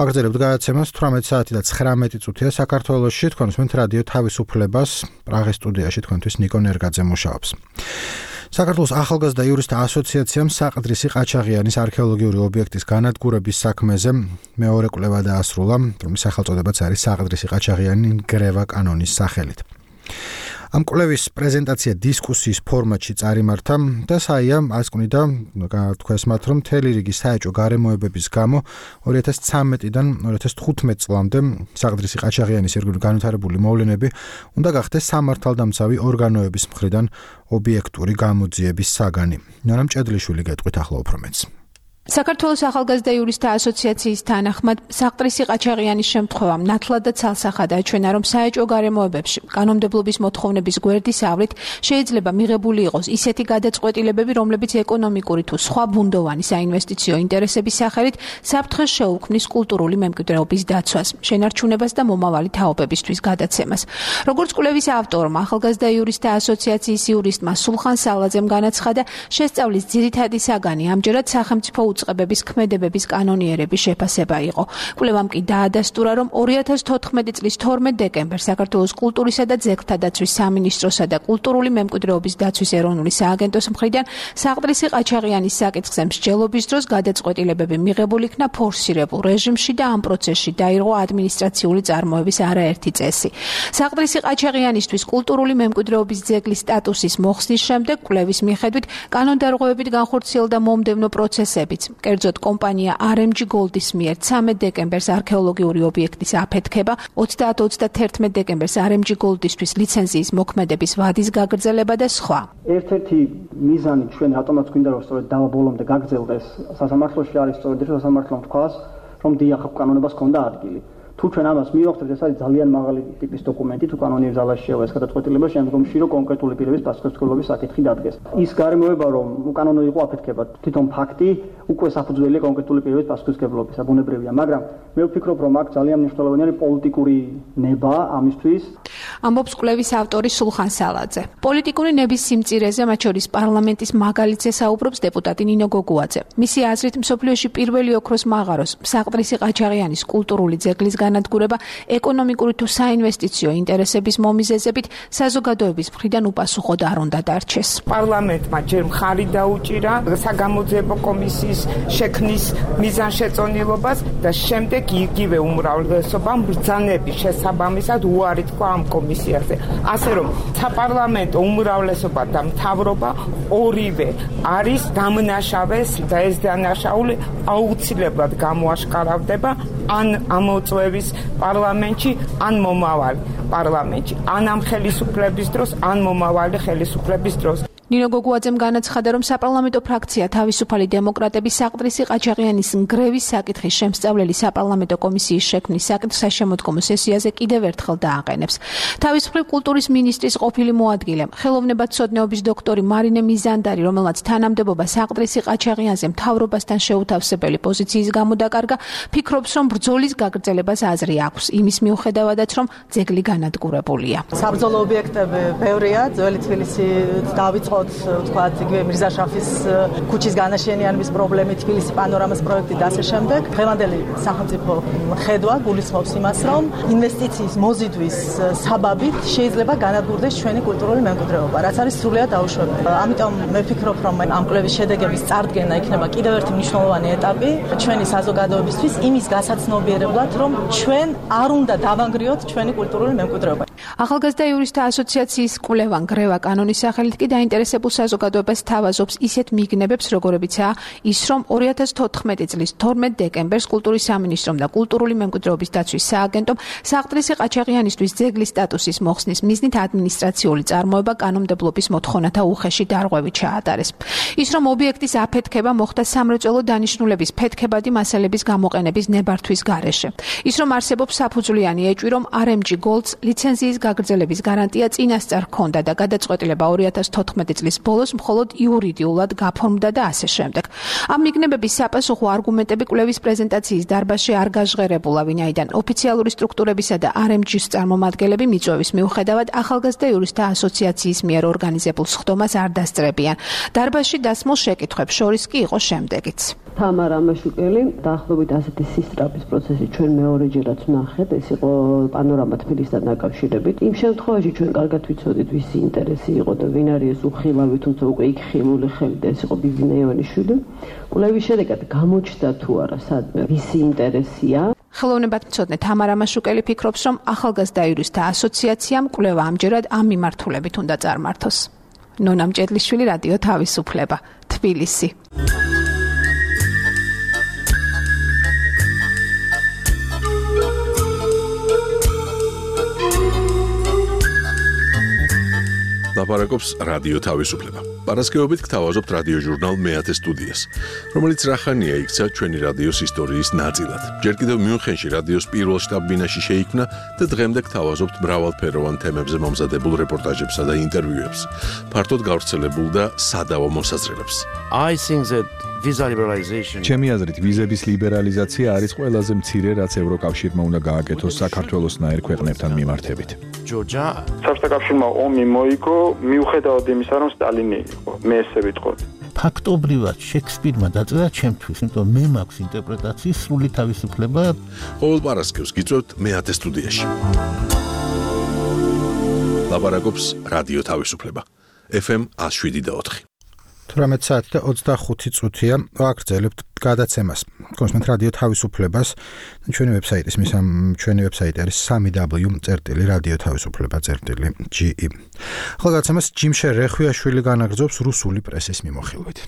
აგრძელებთ გადაცემას 18 საათი და 19 წუთია საქართველოში, თქვენ უსმენთ რადიო თავისუფლებას, პრაღის სტუდიაში თქვენთვის ნიკო ნერგაძე მუშაობს. საქართველოს ახალგაზრდა იურისტთა ასოციაციამ საყდრისი ყაჩაღიანის არქეოლოგიური ობიექტის განადგურების საქმეზე მეორე კვლევა დაასრულა, რომლის სახელწოდებაც არის საყდრისი ყაჩაღიანი ნგრევა კანონის სახელით. ამ კვლევის პრეზენტაცია დისკუსიის ფორმატში წარიმართა და საია ასკვნიდა თქვენს მათ, რომ მთელი რიგი საეჭვო გარემოებების გამო 2013-დან 2015 წლამდე საყდრისი ყაჩაღიანის ირგვლივ განვითარებული მოვლენები უნდა გახდეს სამართალდამცავი ორგანოების მხრიდან ობიექტური გამოძიების საგანი. ნანამ ჭედლიშვილი გეტყვით ახლა უფრო მეტს. საქართველოს ახალგაზრდა იურისტთა ასოციაციის თანახმად საყდრისი ყაჩაღიანის შემთხვევამ ნათლად და ცალსახად აჩვენა, რომ საეჭვო გარემოებებში კანონმდებლობის მოთხოვნების გვერდისავლით შეიძლება მიღებული იყოს ისეთი გადაწყვეტილებები, რომლებიც ეკონომიკური თუ სხვა ბუნდოვანი საინვესტიციო ინტერესების სახელით საფრთხეს შეუქმნის კულტურული მემკვიდრეობის დაცვას, შენარჩუნებას და მომავალი თაობებისთვის გადაცემას. როგორც კვლევის ავტორმა, ახალგაზრდა იურისტთა ასოციაციის იურისტმა სულხან სალაძემ განაცხადა, შესწავლის ძირითადი საგანი ამჯერად სახელმწიფო უწყებების ქმედებების კანონიერების შეფასება იყო. კვლევამ კი დაადასტურა, რომ 2014 წლის 12 დეკემბერს საქართველოს კულტურისა და ძეგლთა დაცვის სამინისტროსა და კულტურული მემკვიდრეობის დაცვის ეროვნული სააგენტოს მხრიდან საყდრისი ყაჩაღიანის საკითხზე მსჯელობის დროს გადაწყვეტილებები მიღებული იქნა ფორსირებულ რეჟიმში და ამ პროცესში დაირღვა ადმინისტრაციული წარმოების არაერთი წესი. საყდრისი ყაჩაღიანისთვის კულტურული მემკვიდრეობის ძეგლის სტატუსის მოხსნის შემდეგ კვლევის მიხედვით კანონდარღვევებით განხორციელდა მომდევნო პროცესებიც. კერძოდ კომპანია RMG Gold-ის მიერ 13 დეკემბერს არქეოლოგიური ობიექტის აფეთქება, 30-31 დეკემბერს RMG Gold-ისთვის ლიცენზიის მოქმედების ვადის გაგრძელება და სხვა. ერთ-ერთი მიზანი ჩვენ ავტომატს გვინდა რომ სწორედ დავა ბოლომდე გაგრძელდეს სასამართლოში არის სწორედ ეს სასამართლომ თქვას, რომ დიახ კანონებას ჰქონდა ადგილი. თუ ჩვენ ამას მივახცევთ, ეს არის ძალიან მაღალი ტიპის დოკუმენტი, თუ კანონიერ ზალაში შევა ეს გადაწყვეტილება, შემდგომში რომ კონკრეტული პირების პასუხისმგებლობის საკითხი დადგეს. ის გარემოება, რომ უკანონო იყო აფეთქება, თვითონ ფაქტი უკვე საფუძველია კონკრეტული პირების პასუხისმგებლობისა, ბუნებრივია, მაგრამ მე ვფიქრობ, რომ აქ ძალიან მნიშვნელოვანი არის პოლიტიკური ნება ამისთვის. ამბობს კვლევის ავტორი სულხან სალაძე. პოლიტიკური ნების სიმწირეზე, მათ შორის პარლამენტის მაგალითზე საუბრობს დეპუტატი ნინო გოგუაძე. მისი აზრით, მსოფლიოში პირველი ოქროს მაღაროს საყდრისი ყაჩაღიანის კულტურული ძეგლის განადგურება ეკონომიკური თუ საინვესტიციო ინტერესების მომიზეზებით საზოგადოების მხრიდან უპასუხოდ არ უნდა დარჩეს. პარლამენტმა ჯერ მხარი დაუჭირა საგამოძიებო კომისიის შექმნის მიზანშეწონილობას და შემდეგ იგივე უმრავლესობამ ბრძანების შესაბამისად უარი თქვა ამ კომისიაზე. ასე რომ საპარლამენტო უმრავლესობა და მთავრობა ორივე არის დამნაშავეს და ეს დანაშაული აუცილებლად გამოაშკარავდება ან ამოწვევის პარლამენტში, ან მომავალი პარლამენტში, ან ამ ხელისუფლების დროს, ან მომავალი ხელისუფლების დროს. ნინო გოგუაძემ განაცხადა, რომ საპარლამენტო ფრაქცია თავისუფალი დემოკრატების საყდრისი ყაჩაღიანის ნგრევის საკითხის შემსწავლელი საპარლამენტო კომისიის შექმნის საკითხს შემოდგომო სესიაზე კიდევ ერთხელ დააყენებს. თავის მხრივ კულტურის მინისტრის ყოფილი მოადგილე, ხელოვნებათმცოდნეობის დოქტორი მარინე მიზანდარი, რომელმაც თანამდებობა საყდრისი ყაჩაღიანზე მთავრობასთან შეუთავსებელი პოზიციის გამო დაკარგა, ფიქრობს, რომ ბრძოლის გაგრძელებას აზრი აქვს, იმის მიუხედავადაც, რომ ძეგლი განადგურებულია. საბრძოლო ობიექტები ბევრია, ძველი თბილისი დავიწყოთ თქვათ იგივე მირზაშაფის ქუჩის განაშენიანების პრობლემით, თბილისი პანორამას პროექტი და ასე შემდეგ. დღევანდელი სახელმწიფო ხედვა გულისხმობს იმას, რომ ინვესტიციის მოზიდვის საბაბით შეიძლება განადგურდეს ჩვენი კულტურული მემკვიდრეობა, რაც არის სრულიად დაუშვებელი. ამიტომ მე ვფიქრობ, რომ ამ კვლევის შედეგების წარდგენა იქნება კიდევ ერთი მნიშვნელოვანი ეტაპი ჩვენი საზოგადოებისთვის იმის გასაცნობიერებლად, რომ ჩვენ არ უნდა დავანგრიოთ ჩვენი კულტურული მემკვიდრეობა. ახალგაზრდა იურისტთა ასოციაციის კვლევა ნგრევა კანონის სახელით კი დაინტერესებულ საზოგადოებას თავაზობს ისეთ მიგნებებს, როგორებიცაა ის, რომ 2014 წლის 12 დეკემბერს კულტურის სამინისტრომ და კულტურული მემკვიდრეობის დაცვის სააგენტომ საყდრისი ყაჩაღიანისთვის ძეგლის სტატუსის მოხსნის მიზნით ადმინისტრაციული წარმოება კანონმდებლობის მოთხოვნათა უხეში დარღვევით ჩაატარეს. ის, რომ ობიექტის აფეთქება მოხდა სამრეწველო დანიშნულების ფეთქებადი მასალების გამოყენების ნებართვის გარეშე. ის, რომ არსებობს საფუძვლიანი ეჭვი, რომ RMG Gold-ს ლიცენზიის გაგრძელების გარანტია წინასწარ ჰქონდა და გადაწყვეტილება 2014 წლის ბოლოს მხოლოდ იურიდიულად გაფორმდა და ასე შემდეგ. ამ მიგნებების საპასუხო არგუმენტები კვლევის პრეზენტაციის დარბაზში არ გაჟღერებულა, ვინაიდან ოფიციალური სტრუქტურებისა და RMG-ს წარმომადგენლები მიწვევის მიუხედავად ახალგაზრდა იურისტთა ასოციაციის მიერ ორგანიზებულ სხდომას არ დასწრებიან. დარბაზში დასმულ შეკითხვებს შორის კი იყო შემდეგიც. თამარა მაშუკელი დაახლოებით ასეთი სისტრაფის პროცესი ჩვენ მეორეჯერაც ვნახეთ, ეს იყო პანორამა თბილისთან დაკავშირებით. იმ შემთხვევაში ჩვენ კარგად ვიცოდით ვისი ინტერესი იყო და ვინ არის ეს უხილავი, თუმცა უკვე იქ ხილული ხელი და ეს იყო ბიბინა ივანიშვილი. კვლევის შედეგად გამოჩნდა თუ არა სადმე ვისი ინტერესია. ხელოვნებათმცოდნე თამარა მაშუკელი ფიქრობს, რომ ახალგაზრდა იურისტთა ასოციაციამ კვლევა ამჯერად ამ მიმართულებით უნდა წარმართოს. ნონა მჭედლიშვილი, რადიო თავისუფლება, თბილისი. ლაპარაკობს რადიო თავისუფლება. პარასკევობით გთავაზობთ რადიო ჟურნალ მეათე სტუდიას, რომელიც რახანია იქცა ჩვენი რადიოს ისტორიის ნაწილად. ჯერ კიდევ მიუნხენში რადიოს პირველ შტაბ-ბინაში შეიქმნა და დღემდე გთავაზობთ მრავალფეროვან თემებზე მომზადებულ რეპორტაჟებსა და ინტერვიუებს, ფართოდ გავრცელებულ და სადავო მოსაზრებებს. ჩემი აზრით, ვიზების ლიბერალიზაცია არის ყველაზე მცირე, რაც ევროკავშირმა უნდა გააკეთოს საქართველოსნაირ ქვეყნებთან მიმართებით. საბჭოთა კავშირმა ომი მოიგო, მიუხედავად იმისა, რომ სტალინი იყო. მე ესე ვიტყოდი. ფაქტობრივად შექსპირმა დაწერა ჩემთვის, იმიტომ მე მაქვს ინტერპრეტაციის სრული თავისუფლება. ყოველ პარასკევს გიწევთ მეათე სტუდიაში. ლაპარაკობს რადიო თავისუფლება. FM 107.4. 18 საათი და 25 წუთია ვაგრძელებთ გადაცემას. კონსმენთ რადიო თავისუფლებას. ჩვენი ვებსაიტი არის www.radiotavisufleba.ge. ახლა გადაცემას ჯიმშე რეხვიაშვილი განაგრძობს რუსული პრესის მიმოხილვით.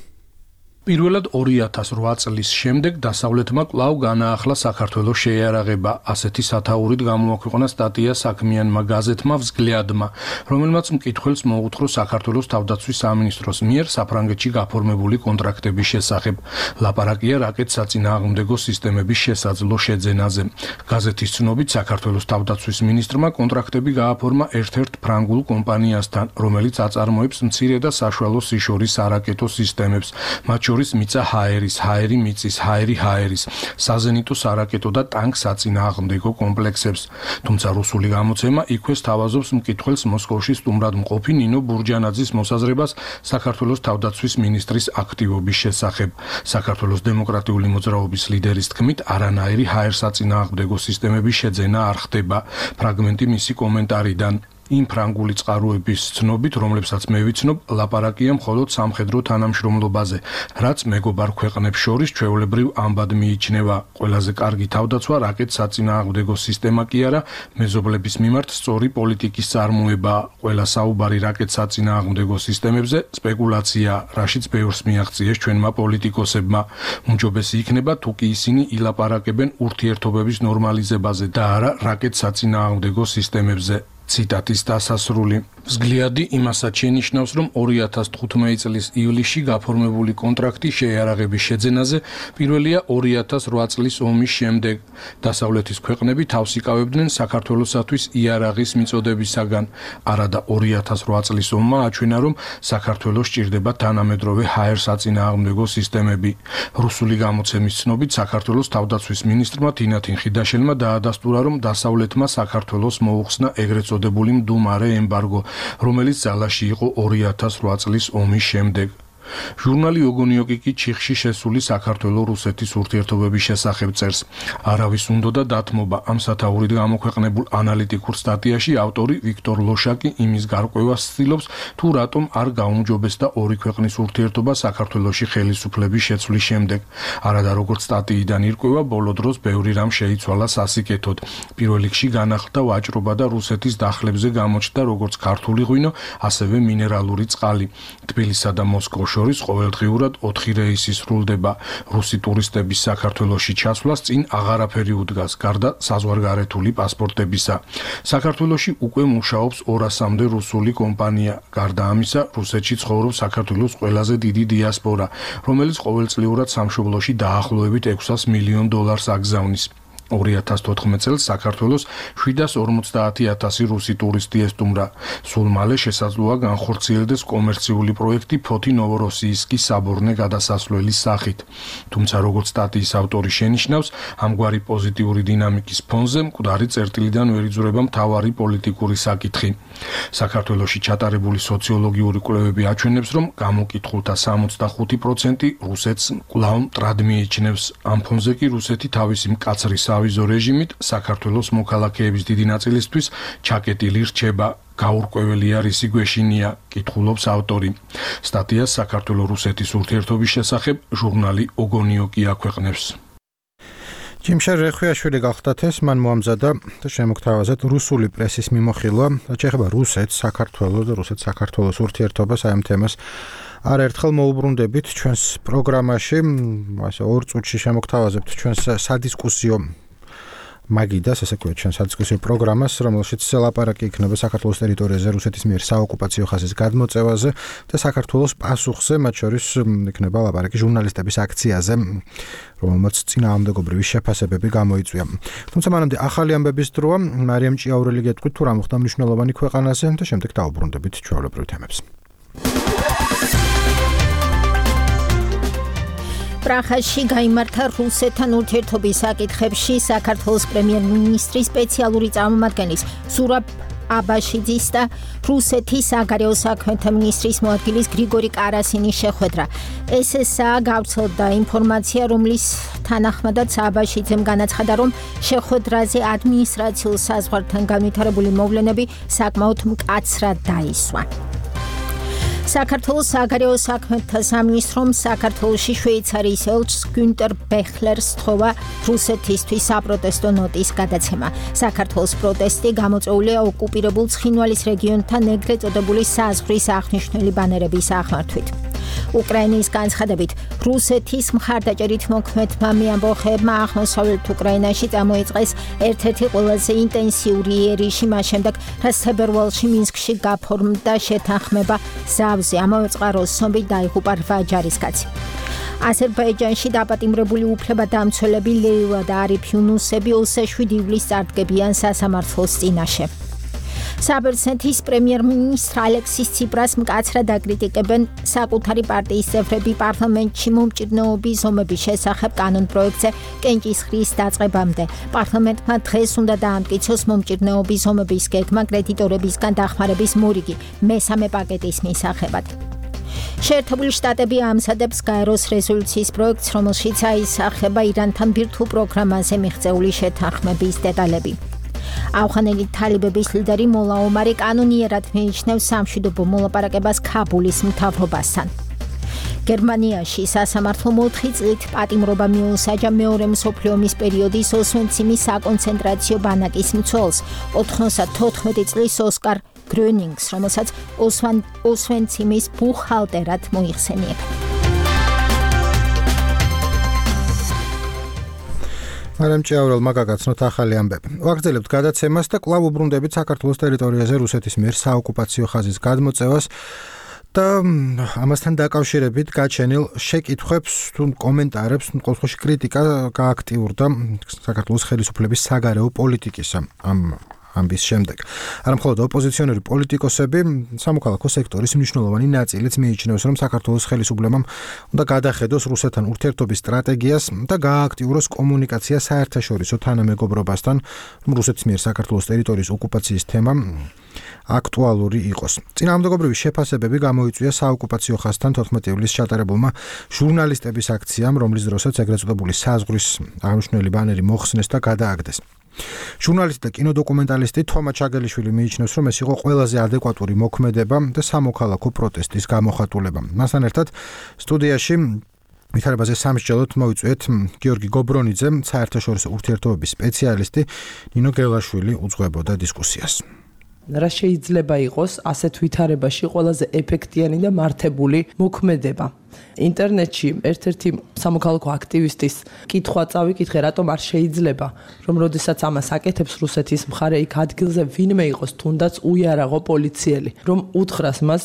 პირველად 2008 წლის შემდეგ დასავლეთმა კვლავ განაახლა საქართველოს შეიარაღება. ასეთი სათაურით გამოაქვეყნა სტატია საქმიანმა გაზეთმა „взглядმა“, რომელმაც მკითხველს მოუთხრო საქართველოს თავდაცვის სამინისტროს მიერ საფრანგეთში გაფორმებული კონტრაქტების შესახებ. ლაპარაკია რაკეტსაწინააღმდეგო სისტემების შესაძლო შეძენაზე. გაზეთის ცნობით საქართველოს თავდაცვის მინისტრმა კონტრაქტები გააფორმა ერთ-ერთ ფრანგულ კომპანიასთან, რომელიც აწარმოებს მცირე და საშუალო სიშორის არაკეტო სისტემებს, მათ შორის მიწა ჰაერის, ჰაერი მიწის, ჰაერი ჰაერის, საზენიტო სარაკეტო და ტანკ საწინააღმდეგო კომპლექსებს. თუმცა რუსული გამოცემა იქვე სთავაზობს მკითხველს მოსკოვში სტუმრად მყოფი ნინო ბურჯანაძის მოსაზრებას საქართველოს თავდაცვის მინისტრის აქტივობის შესახებ. საქართველოს დემოკრატიული მოძრაობის ლიდერის თქმით, არანაირი ჰაერსაწინააღმდეგო სისტემების შეძენა არ ხდება. ფრაგმენტი მისი კომენტარიდან. იმ ფრანგული წყაროების ცნობით, რომლებსაც მე ვიცნობ, ლაპარაკია მხოლოდ სამხედრო თანამშრომლობაზე, რაც მეგობარ ქვეყნებს შორის ჩვეულებრივ ამბად მიიჩნევა. ყველაზე კარგი თავდაცვა რაკეტსაწინააღმდეგო სისტემა კი არა, მეზობლების მიმართ სწორი პოლიტიკის წარმოებაა. ყველა საუბარი რაკეტსაწინააღმდეგო სისტემებზე სპეკულაცია, რაშიც ბევრს მიაღწიეს ჩვენმა პოლიტიკოსებმა. უმჯობესი იქნება, თუ კი ისინი ილაპარაკებენ ურთიერთობების ნორმალიზებაზე და არა რაკეტსაწინააღმდეგო სისტემებზე. ციტატის დასასრული. взгляდი იმასაც შენიშნავს, რომ 2015 წლის ივლისში გაფორმებული კონტრაქტი შეიარაღების შეძენაზე პირველია 2008 წლის ომის შემდეგ. დასავლეთის ქვეყნები თავს იკავებდნენ საქართველოსათვის იარაღის მიწოდებისაგან. არადა 2008 წლის ომმა აჩვენა, რომ საქართველოს სჭირდება თანამედროვე ჰაერსაწინააღმდეგო სისტემები. რუსული გამოცემის ცნობით, საქართველოს თავდაცვის მინისტრმა თინათინ ხიდაშელმა დაადასტურა, რომ დასავლეთმა საქართველოს მოუხსნა ეგრეთ წოდებული მდუმარე ემბარგო, რომელიც ძალაში იყო 2008 წლის ომის შემდეგ. ჟურნალი ოგონიოკი კი ჩიხში შესული საქართველო-რუსეთის ურთიერთობების შესახებ წერს. არავის უნდოდა დათმობა. ამ სათაურით გამოქვეყნებულ ანალიტიკურ სტატიაში ავტორი ვიქტორ ლოშაკი იმის გარკვევას ცდილობს, თუ რატომ არ გაუმჯობესდა ორი ქვეყნის ურთიერთობა საქართველოში ხელისუფლების შეცვლის შემდეგ. არადა როგორც სტატიიდან ირკვევა, ბოლო დროს ბევრი რამ შეიცვალა სასიკეთოდ. პირველ რიგში განახლდა ვაჭრობა და რუსეთის დახლებზე გამოჩნდა როგორც ქართული ღვინო, ასევე მინერალური წყალი. თბილისსა და მოსკოვში შორის ყოველდღიურად 4 რეისი სრულდება. რუსი ტურისტების საქართველოში ჩასვლას წინ აღარაფერი უდგას, გარდა საზღვარგარეთული პასპორტებისა. საქართველოში უკვე მუშაობს 200-მდე რუსული კომპანია. გარდა ამისა, რუსეთში ცხოვრობს საქართველოს ყველაზე დიდი დიასპორა, რომელიც ყოველწლიურად სამშობლოში დაახლოებით $600 მილიონ აგზავნის. 2014 წელს საქართველოს 750,000 რუსი ტურისტი ესტუმრა. სულ მალე შესაძლოა განხორციელდეს კომერციული პროექტი ფოთი ნოვოროსიისკის საბორნე გადასასვლელის სახით. თუმცა როგორც სტატიის ავტორი შენიშნავს, ამგვარი პოზიტიური დინამიკის ფონზე მკვდარი წერტილიდან ვერ იძვრება მთავარი პოლიტიკური საკითხი. საქართველოში ჩატარებული სოციოლოგიური კვლევები აჩვენებს, რომ გამოკითხულთა 65% რუსეთს კვლავ მტრად მიიჩნევს. ამ ფონზე კი რუსეთი თავისი მკაცრი ავიზო რეჟიმით საქართველოს მოქალაქეების დიდი ნაწილისთვის ჩაკეტილი რჩება. გაურკვეველი არის იგვეშინია, კითხულობს ავტორი. სტატიას საქართველო-რუსეთის ურთიერთობის შესახებ ჟურნალი ოგონიოკი აქვეყნებს. ჯიმშე რეხვიაშვილი გახდათ ეს, მან მოამზადა და შემოგთავაზეთ რუსული პრესის მიმოხილვა, რაც ეხება რუსეთს, საქართველოს და რუსეთ-საქართველოს ურთიერთობას, აი ამ თემას არაერთხელ მოუბრუნდებით ჩვენს პროგრამაში, ასე 2 წუთში შემოგთავაზებთ ჩვენს სადისკუსიო მაგიდას, ასე ვქვათ, ჩვენ სადისკუსიო პროგრამას, რომელშიც ლაპარაკი იქნება საქართველოს ტერიტორიაზე რუსეთის მიერ საოკუპაციო ხაზის გადმოწევაზე და საქართველოს პასუხზე, მათ შორის იქნება ლაპარაკი ჟურნალისტების აქციაზე, რომელმაც წინააღმდეგობრივი შეფასებები გამოიწვია. თუმცა მანამდე ახალი ამბების დროა, მარიამ ჭიაურელი გეტყვით თუ რა მოხდა მნიშვნელოვანი ქვეყანაზე და შემდეგ დავუბრუნდებით ჩვეულებრივ თემებს. პრაღაში გაიმართა რუსეთთან ურთიერთობის საკითხებში საქართველოს პრემიერ-მინისტრის სპეციალური წარმომადგენლის ზურაბ აბაშიძის და რუსეთის საგარეო საქმეთა მინისტრის მოადგილის გრიგორი კარასინის შეხვედრა. SSA გავრცელდა ინფორმაცია, რომლის თანახმადაც აბაშიძემ განაცხადა, რომ შეხვედრაზე ადმინისტრაციულ საზღვართან განვითარებული მოვლენები საკმაოდ მკაცრად დაისვა. საქართველოს საგარეო საქმეთა სამინისტრომ საქართველოში შვეიცარიის ელჩს გუნტერ ბეხლერს სთხოვა რუსეთისთვის საპროტესტო ნოტის გადაცემა. საქართველოს პროტესტი გამოწვეულია ოკუპირებულ ცხინვალის რეგიონთან ეგრეთ წოდებული საზღვრის აღნიშნული ბანერების აღმართვით. უკრაინის განცხადებით, რუსეთის მხარდაჭერით მოქმედმა მეამბოხეებმა აღმოსავლეთ უკრაინაში წამოიწყეს ერთ-ერთი ყველაზე ინტენსიური იერიში მას შემდეგ, რაც თებერვალში მინსკში გაფორმდა შეთანხმება ზავზე, ამავე წყაროს ცნობით დაიღუპა 8 ჯარისკაცი. აზერბაიჯანში დაპატიმრებული უფლებადამცველები ლეილა და არიფ იუნუსები 27 ივლისს წარდგებიან სასამართლოს წინაშე. საბერძნეთის პრემიერ-მინისტრ ალექსის ციპრას მკაცრად აკრიტიკებენ საკუთარი პარტიის წევრები პარლამენტში მომჭირნეობის ზომების შესახებ კანონპროექტზე კენჭისყრის დაწყებამდე. პარლამენტმა დღეს უნდა დაამტკიცოს მომჭირნეობის ზომების გეგმა კრედიტორებისგან დახმარების მორიგი მესამე პაკეტის მისაღებად. შეერთებული შტატები ამზადებს გაეროს რეზოლუციის პროექტს, რომელშიც აისახება ირანთან ბირთვულ პროგრამაზე მიღწეული შეთანხმების დეტალები. ავღანელი თალიბების ლიდერი მოლა ომარი კანონიერად მიიჩნევს სამშვიდობო მოლაპარაკებას ქაბულის მთავრობასთან. გერმანიაში სასამართლომ 4 წლით პატიმრობა მიუსაჯა მეორე მსოფლიო ომის პერიოდის ოსვენციმის საკონცენტრაციო ბანაკის მცველს 94 წლის ოსკარ გრონინგს, რომელსაც ოსვენციმის ბუხალტერად მოიხსენიება. მარიამ ჭიაურელმა გაგაცნოთ ახალი ამბები. ვაგრძელებთ გადაცემას და კვლავ უბრუნდებით საქართველოს ტერიტორიაზე რუსეთის მიერ საოკუპაციო ხაზის გადმოწევას და ამასთან დაკავშირებით გაჩენილ შეკითხვებს თუ კომენტარებს, ყოველ შემთხვევაში კრიტიკა გააქტიურდა საქართველოს ხელისუფლების საგარეო პოლიტიკის ამ ამბის შემდეგ. არამხოლოდ ოპოზიციონერი პოლიტიკოსები, სამოქალაქო სექტორის მნიშვნელოვანი ნაწილიც მიიჩნევს, რომ საქართველოს ხელისუფლებამ უნდა გადახედოს რუსეთთან ურთიერთობის სტრატეგიას და გაააქტიუროს კომუნიკაცია საერთაშორისო თანამეგობრობასთან, რომ რუსეთის მიერ საქართველოს ტერიტორიის ოკუპაციის თემა აქტუალური იყოს. წინააღმდეგობრივი შეფასებები გამოიწვია საოკუპაციო ხაზთან 14 ივლისს ჩატარებულმა ჟურნალისტების აქციამ, რომლის დროსაც ეგრეთ წოდებული საზღვრის აღნიშნული ბანერი მოხსნეს და გადააგდეს. ჟურნალისტი და კინოდოკუმენტალისტი თომა ჩაგელიშვილი მიიჩნევს, რომ ეს იყო ყველაზე ადეკვატური მოქმედება და სამოქალაქო პროტესტის გამოხატულება. მასთან ერთად სტუდიაში ვითარებაზე სამსჯელოდ მოვიწვიეთ გიორგი გობრონიძე, საერთაშორისო ურთიერთობების სპეციალისტი, ნინო გელაშვილი უძღვებოდა დისკუსიას. რა შეიძლება იყოს ასეთ ვითარებაში ყველაზე ეფექტიანი და მართებული მოქმედება. ინტერნეტში ერთ-ერთი სამოქალაქო აქტივისტის კითხვა წავიკითხე, რატომ არ შეიძლება, რომ როდესაც ამას აკეთებს რუსეთის მხარე, იქ ადგილზე ვინმე იყოს, თუნდაც უიარაღო პოლიციელი, რომ უთხრას მას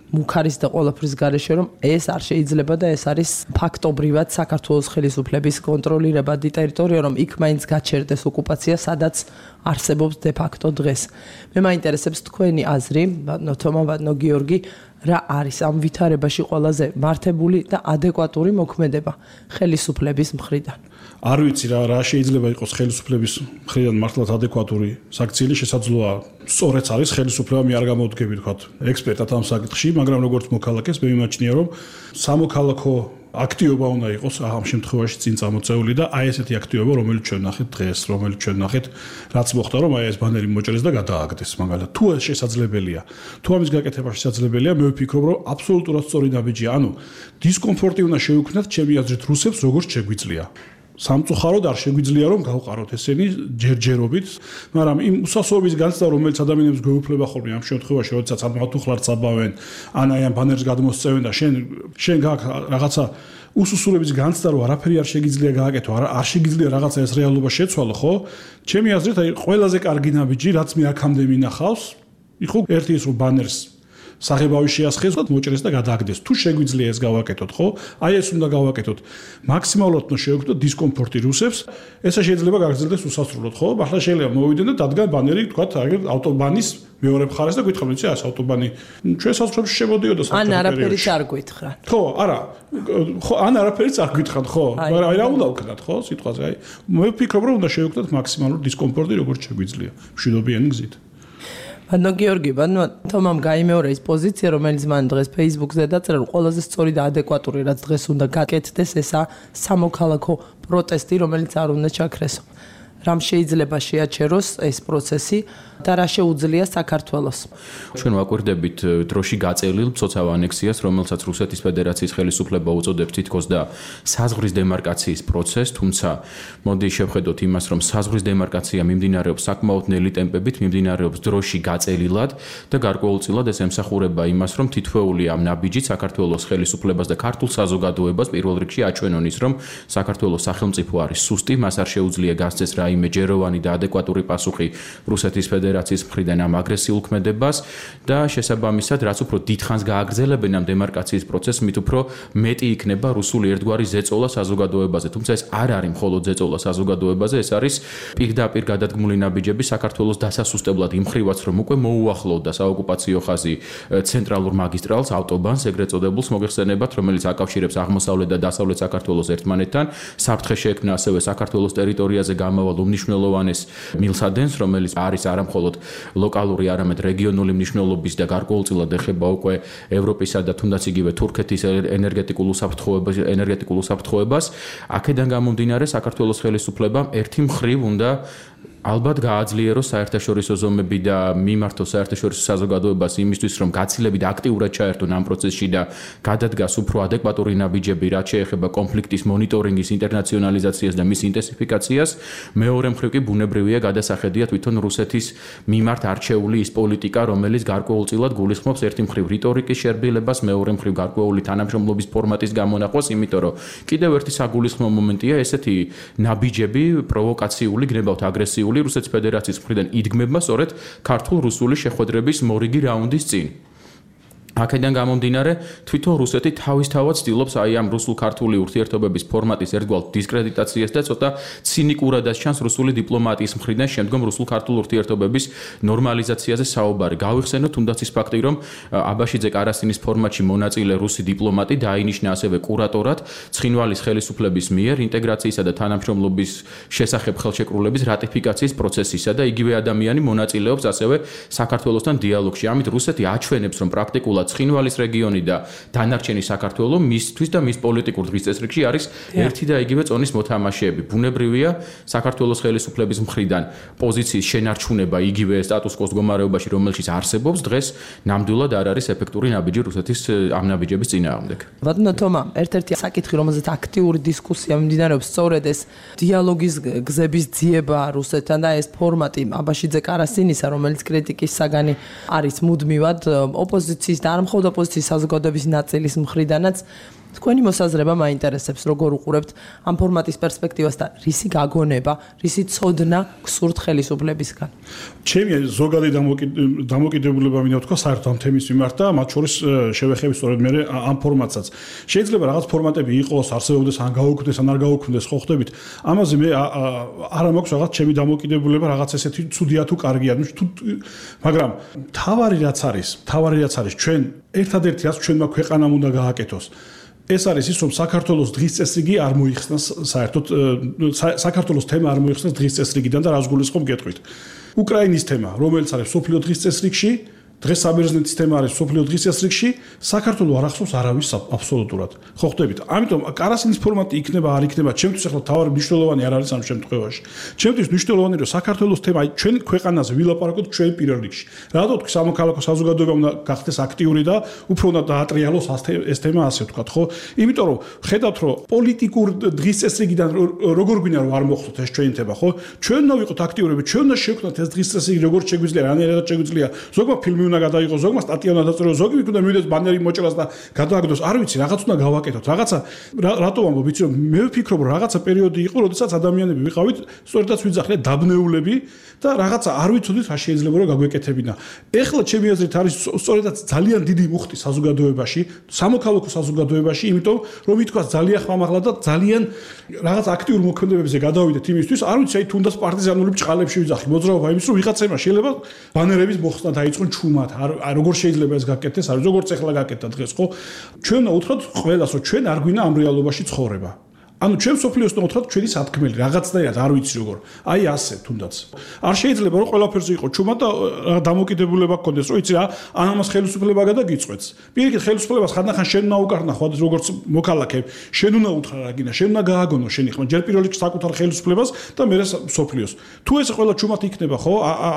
მუქარის და ყველაფრის გარეშე, რომ ეს არ შეიძლება და ეს არის ფაქტობრივად საქართველოს ხელისუფლების კონტროლირებადი ტერიტორია, რომ იქ მაინც გაჩერდეს ოკუპაცია, სადაც არსებობს de facto დღეს. მე მაინტერესებს თქვენი აზრი, ბატონო თომა, ბატონო გიორგი, რა არის ამ ვითარებაში ყველაზე მართებული და ადეკვატური მოქმედება ხელისუფლების მხრიდან? არ ვიცი რა შეიძლება იყოს ხელისუფლების მხრიდან მართლაც ადეკვატური საქციელი, შესაძლოა სწორედ არის ხელისუფლება მე არ გამოვდგები თქვათ ექსპერტად ამ საკითხში, მაგრამ როგორც მოქალაქეს მე მიმაჩნია, რომ სამოქალაქო აქტივობა უნდა იყოს ამ შემთხვევაში წინ წამოწეული და აი ესეთი აქტივობა, რომელიც ჩვენ ნახეთ დღეს, რომელიც ჩვენ ნახეთ, რაც მოხდა, რომ აი ეს ბანერი მოჭრეს და გადააგდეს, მაგალითად. თუ ეს შესაძლებელია, თუ ამის გაკეთება შესაძლებელია, მე ვფიქრობ, რომ აბსოლუტურად სწორი ნაბიჯია. ანუ დისკომფორტი უნდა შეუქმნათ ჩემი აზრით რუსებს, როგორც შეგვიძლია. სამწუხაროდ არ შეგვიძლია რომ გავყაროთ ესენი ჯერჯერობით, მაგრამ იმ უსასოების განცდა, რომელიც ადამიანებს გვეუფლება ხოლმე ამ შემთხვევაში, როდესაც ამათუხლარს აბავენ, ან აი ამ ბანერს გადმოსწევენ და შენ გაქვს რაღაცა უსუსურების განცდა, რომ არაფერი არ შეგიძლია გააკეთო, არ შეგიძლია რაღაცა ეს რეალობა შეცვალო, ხო? ჩემი აზრით, აი ყველაზე კარგი ნაბიჯი, რაც მე აქამდე მინახავს, იყო ერთი ის რომ ბანერს საღებავი შეასხეს, მოჭრეს და გადააგდეს. თუ შეგვიძლია ეს გავაკეთოთ, ხო? აი ეს უნდა გავაკეთოთ. მაქსიმალურად უნდა შევექმნოთ დისკომფორტი რუსებს. ესე შეიძლება გაგრძელდეს უსასრულოდ, ხო? ახლა შეიძლება მოვიდენ და დადგან ბანერი, თქვათ, აგერ ავტობანის მეორე მხარეს და გითხრათ, იცი, ეს ავტობანი ჩვენ საზღვრებში შემოდიოდა ან არაფერიც არ გითხრათ. ხო, არა. ხო, ან არაფერიც არ გითხრათ, ხო? მაგრამ აი რა უნდა ვქნათ, ხო? სიტყვაზე, აი მე ვფიქრობ, რომ უნდა შევექმნოთ მაქსიმალური დისკომფორტი, როგორც შეგვიძლია, მშვიდობიანი გზით. ბანო გიორგი, ბანო თომამ გაიმეორე ის პოზიცია, რომელიც მან დღეს Facebook-ზე დაწერა, რომ ყველაზე სწორი და ადეკვატური რაც დღეს უნდა გაკეთდეს, ესა სამოქალაქო პროტესტი, რომელიც არ უნდა ჩაქრესო. რამ შეიძლება შეაჩეროს ეს პროცესი და რა შეუძლია საქართველოს. ჩვენ ვაკვირდებით დროში გაწევლილ მცოცავ ანექსიას, რომელსაც რუსეთის ფედერაციის ხელისუფლება უწოდებს თითქოს და საზღვრის დემარკაციის პროცესს, თუმცა მოდი შევხედოთ იმას, რომ საზღვრის დემარკაცია მიმდინარეობს საკმაოდ ნელი ტემპებით, მიმდინარეობს დროში გაწელილად და გარკვეულწილად ეს ემსახურება იმას, რომ თითოეული ამ ნაბიჯით საქართველოს ხელისუფლებას და ქართულ საზოგადოებას პირველ რიგში აჩვენონ ის, რომ საქართველოს სახელმწიფო არის სუსტი, მას არ შეუძლია გასცეს რაიმე ჯეროვანი და ადეკვატური პასუხი რუსეთის ფედერაციის მხრიდან ამ აგრესიულ ქმედებას და შესაბამისად, რაც უფრო დიდხანს გააგრძელებენ ამ დემარკაციის პროცესს, მით უფრო მეტი იქნება რუსული ერთგვარი ზეწოლა საზოგადოებაზე. თუმცა ეს არ არის მხოლოდ ზეწოლა საზოგადოებაზე, ეს არის პირდაპირ გადადგმული ნაბიჯები საქართველოს დასასუსტებლად იმ ხრივაც, რომ უკვე მოუახლოვდა საოკუპაციო ხაზი ცენტრალურ მაგისტრალს, ავტობანს, ეგრეთ წოდებულს მოგეხსენებათ, რომელიც აკავშირებს აღმოსავლეთ და დასავლეთ საქართველოს ერთმანეთთან. საფრთხე შეექმნა ასევე საქართველოს ტერიტორიაზე გამავალ უმნიშვნელოვანეს მილსადენს, რომელიც არის არა მხოლოდ ლოკალური, არამედ რეგიონული მნიშვნელობის და გარკვეულწილად ეხება უკვე ევროპისა და თუნდაც იგივე თურქეთის ენერგეტიკულ უსაფრთხოებას. აქედან გამომდინარე, საქართველოს ხელისუფლებამ ერთი მხრივ უნდა ალბათ გააძლიეროს საერთაშორისო ზომები და მიმართოს საერთაშორისო საზოგადოებას იმისთვის, რომ გაცილებით აქტიურად ჩაერთონ ამ პროცესში და გადადგას უფრო ადეკვატური ნაბიჯები, რაც შეეხება კონფლიქტის მონიტორინგის ინტერნაციონალიზაციას და მის ინტენსიფიკაციას. მეორე მხრივ კი ბუნებრივია გადასახედია თვითონ რუსეთის მიმართ არჩეული ის პოლიტიკა, რომელიც გარკვეულწილად გულისხმობს ერთი მხრივ რიტორიკის შერბილებას, მეორე მხრივ გარკვეული თანამშრომლობის ფორმატის გამონაყვას, იმიტომ რომ კიდევ ერთი საგულისხმო მომენტია ესეთი ნაბიჯები, პროვოკაციული, გნებავთ აგრესიული რუსეთის ფედერაციის მხრიდან იდგმება სწორედ ქართულ-რუსული შეხვედრების მორიგი რაუნდის წინ. აქედან გამომდინარე, თვითონ რუსეთი თავისთავად ცდილობს აი ამ რუსულ-ქართული ურთიერთობების ფორმატის ერთგვარ დისკრედიტაციას და ცოტა ცინიკურადაც ჩანს რუსული დიპლომატიის მხრიდან შემდგომ რუსულ-ქართულ ურთიერთობების ნორმალიზაციაზე საუბარი. გავიხსენოთ თუნდაც ის ფაქტი, რომ აბაშიძე კარასინის ფორმატში მონაწილე რუსი დიპლომატი დაინიშნა ასევე კურატორად ცხინვალის ხელისუფლების მიერ ინტეგრაციისა და თანამშრომლობის შესახებ ხელშეკრულების რატიფიკაციის პროცესისა და იგივე ადამიანი მონაწილეობს ასევე საქართველოსთან დიალოგში. ამით რუსეთი აჩვენებს, რომ პრაქტიკულად ცხინვალის რეგიონი და დანარჩენი საქართველო მისთვის და მის პოლიტიკურ დღის წესრიგში არის ერთი და იგივე წონის მოთამაშეები. ბუნებრივია საქართველოს ხელისუფლების მხრიდან პოზიციის შენარჩუნება იგივე სტატუს-კვოს მდგომარეობაში, რომელშიც არსებობს დღეს ნამდვილად არ არის ეფექტური ნაბიჯი რუსეთის ამ ნაბიჯების წინააღმდეგ. ბატონო თომა, ერთ-ერთი საკითხი, რომელზეც აქტიური დისკუსია მიმდინარეობს, სწორედ ეს დიალოგის გზების ძიება რუსეთთან და ეს ფორმატი აბაშიძე კარასინისა, რომელიც კრიტიკის საგანი არის მუდმივად ოპოზიციის და არ მხოლოდ ოპოზიციის საზოგადოების ნაწილის მხრიდანაც. თქვენი მოსაზრება მაინტერესებს, როგორ უყურებთ ამ ფორმატის პერსპექტივას და რისი გაგონება, რისი ცოდნა გსურთ ხელისუფლებისგან? ჩემი ზოგადი დამოკიდებულება მინდა ვთქვა საერთოდ ამ თემის მიმართ და მათ შორის შევეხები სწორედ მე ამ ფორმატსაც. შეიძლება რაღაც ფორმატები იყოს, არსებობდეს, ან გაუქმდეს, ან არ გაუქმდეს, ხო ხდებით? ამაზე მე არა მაქვს რაღაც ჩემი დამოკიდებულება, რაღაც ესეთი ცუდია თუ კარგია, მაგრამ თავარი რაც არის, ჩვენ ერთადერთი რაც ჩვენმა ქვეყანამ უნდა გააკეთოს. ეს არის ის, რომ საქართველოს დღის წესრიგი არ მოიხსნას საერთოდ საქართველოს თემა არ მოიხსნას დღის წესრიგიდან და რას გულისხმობ გეტყვით. უკრაინის თემა, რომელიც არის სოფლიო დღის წესრიგში, დღეს საბერძნეთის თემა არის სოფლიო დღის წესრიგში, საქართველოს არ ახსოვს არავის აბსოლუტურად. ხო ხვდებით? ამიტომ კარასინის ფორმატი იქნება, არ იქნება, ჩემთვის ახლა თავარი მნიშვნელოვანი არ არის ამ შემთხვევაში. ჩემთვის მნიშვნელოვანი რომ საქართველოს თემა ჩვენ ქვეყანაზე ვილაპარაკოთ ჩვენ პირველ რიგში. რატო თქვი სამოქალაქო საზოგადოება უნდა გახდეს აქტიური და უფრო უნდა დაატრიალოს ეს თემა ასე ვთქვათ, ხო? იმიტომ რომ ხედავთ რომ პოლიტიკურ დღის წესრიგიდან როგორ გვინდა რომ არ მოხდოთ ეს ჩვენი თემა, ხო? ჩვენ უნდა ვიყოთ აქტიურები, ჩვენ უნდა შევქმნათ ეს დღის წესრიგი როგორ შეგვიძლია, რანაირად შეგვიძლია. ზოგმა ფილმი უნდა გადაიღოს, ზოგმა სტატია უნდა დაწეროს, ზოგი უნდა მივიდეს ბანერი მოჭრას და გადააგდოს. არ ვიცი, რაღაც უნდა გავაკეთოთ. რაღაცა რატო ვამბობ, ვიცი რომ მე ვფიქრობ რომ რაღაცა პერიოდი იყო, როდესაც ადამიანები ვიყავით, სწორედაც ვიძახნეთ დაბნეულები და რაღაცა არ ვიცოდით რა შეიძლება რომ გაგვეკეთებინა. ეხლა ჩემი აზრით არის სწორედაც ძალიან დიდი მუხტი საზოგადოებაში, სამოქალაქო საზოგადოებაში, იმიტომ რომ ითქვას ძალიან ხმამაღლა და ძალიან რაღაც აქტიურ მოქმედებებზე გადავიდეთ იმისთვის, არ ვიცი, აი თუნდაც პარტიზანული ბჭყალებში ვიძახი, მოძრაობა იმის რომ ვიღაცებმა შეიძლება ბანერების მოხსნა დაიწყონ ჩუმად, როგორ შეიძლება ეს გაკეთდეს, არის როგორც ეხლა გაკეთდა დღეს, ხო? ჩვენ უნდა უთხრათ ყველას, რომ ჩვენ არ გვინა ამ რეალობაში ცხოვრება. ანუ ჩვენ სოფლიოს უნდა უთხრათ ჩვენი სათქმელი, რაღაცნაირად არ ვიცი როგორ. აი ასე თუნდაც. არ შეიძლება რომ ყველაფერზე იყო ჩუმად და დამოკიდებულება გქონდეს, რომ იცი რა, ამას ხელისუფლება გადაგიწყვეტს. პირიქით ხელისუფლებას ხანდახან შენ უნდა უკარნა ხო, როგორც მოქალაქე, შენ უნდა უთხრა რა გინდა, შენ უნდა გააგონო შენი ხმა, ჯერ პირველ რიგში საკუთარ ხელისუფლებას და მერე სოფლიოს. თუ ეს ყველა ჩუმად იქნება, ხო?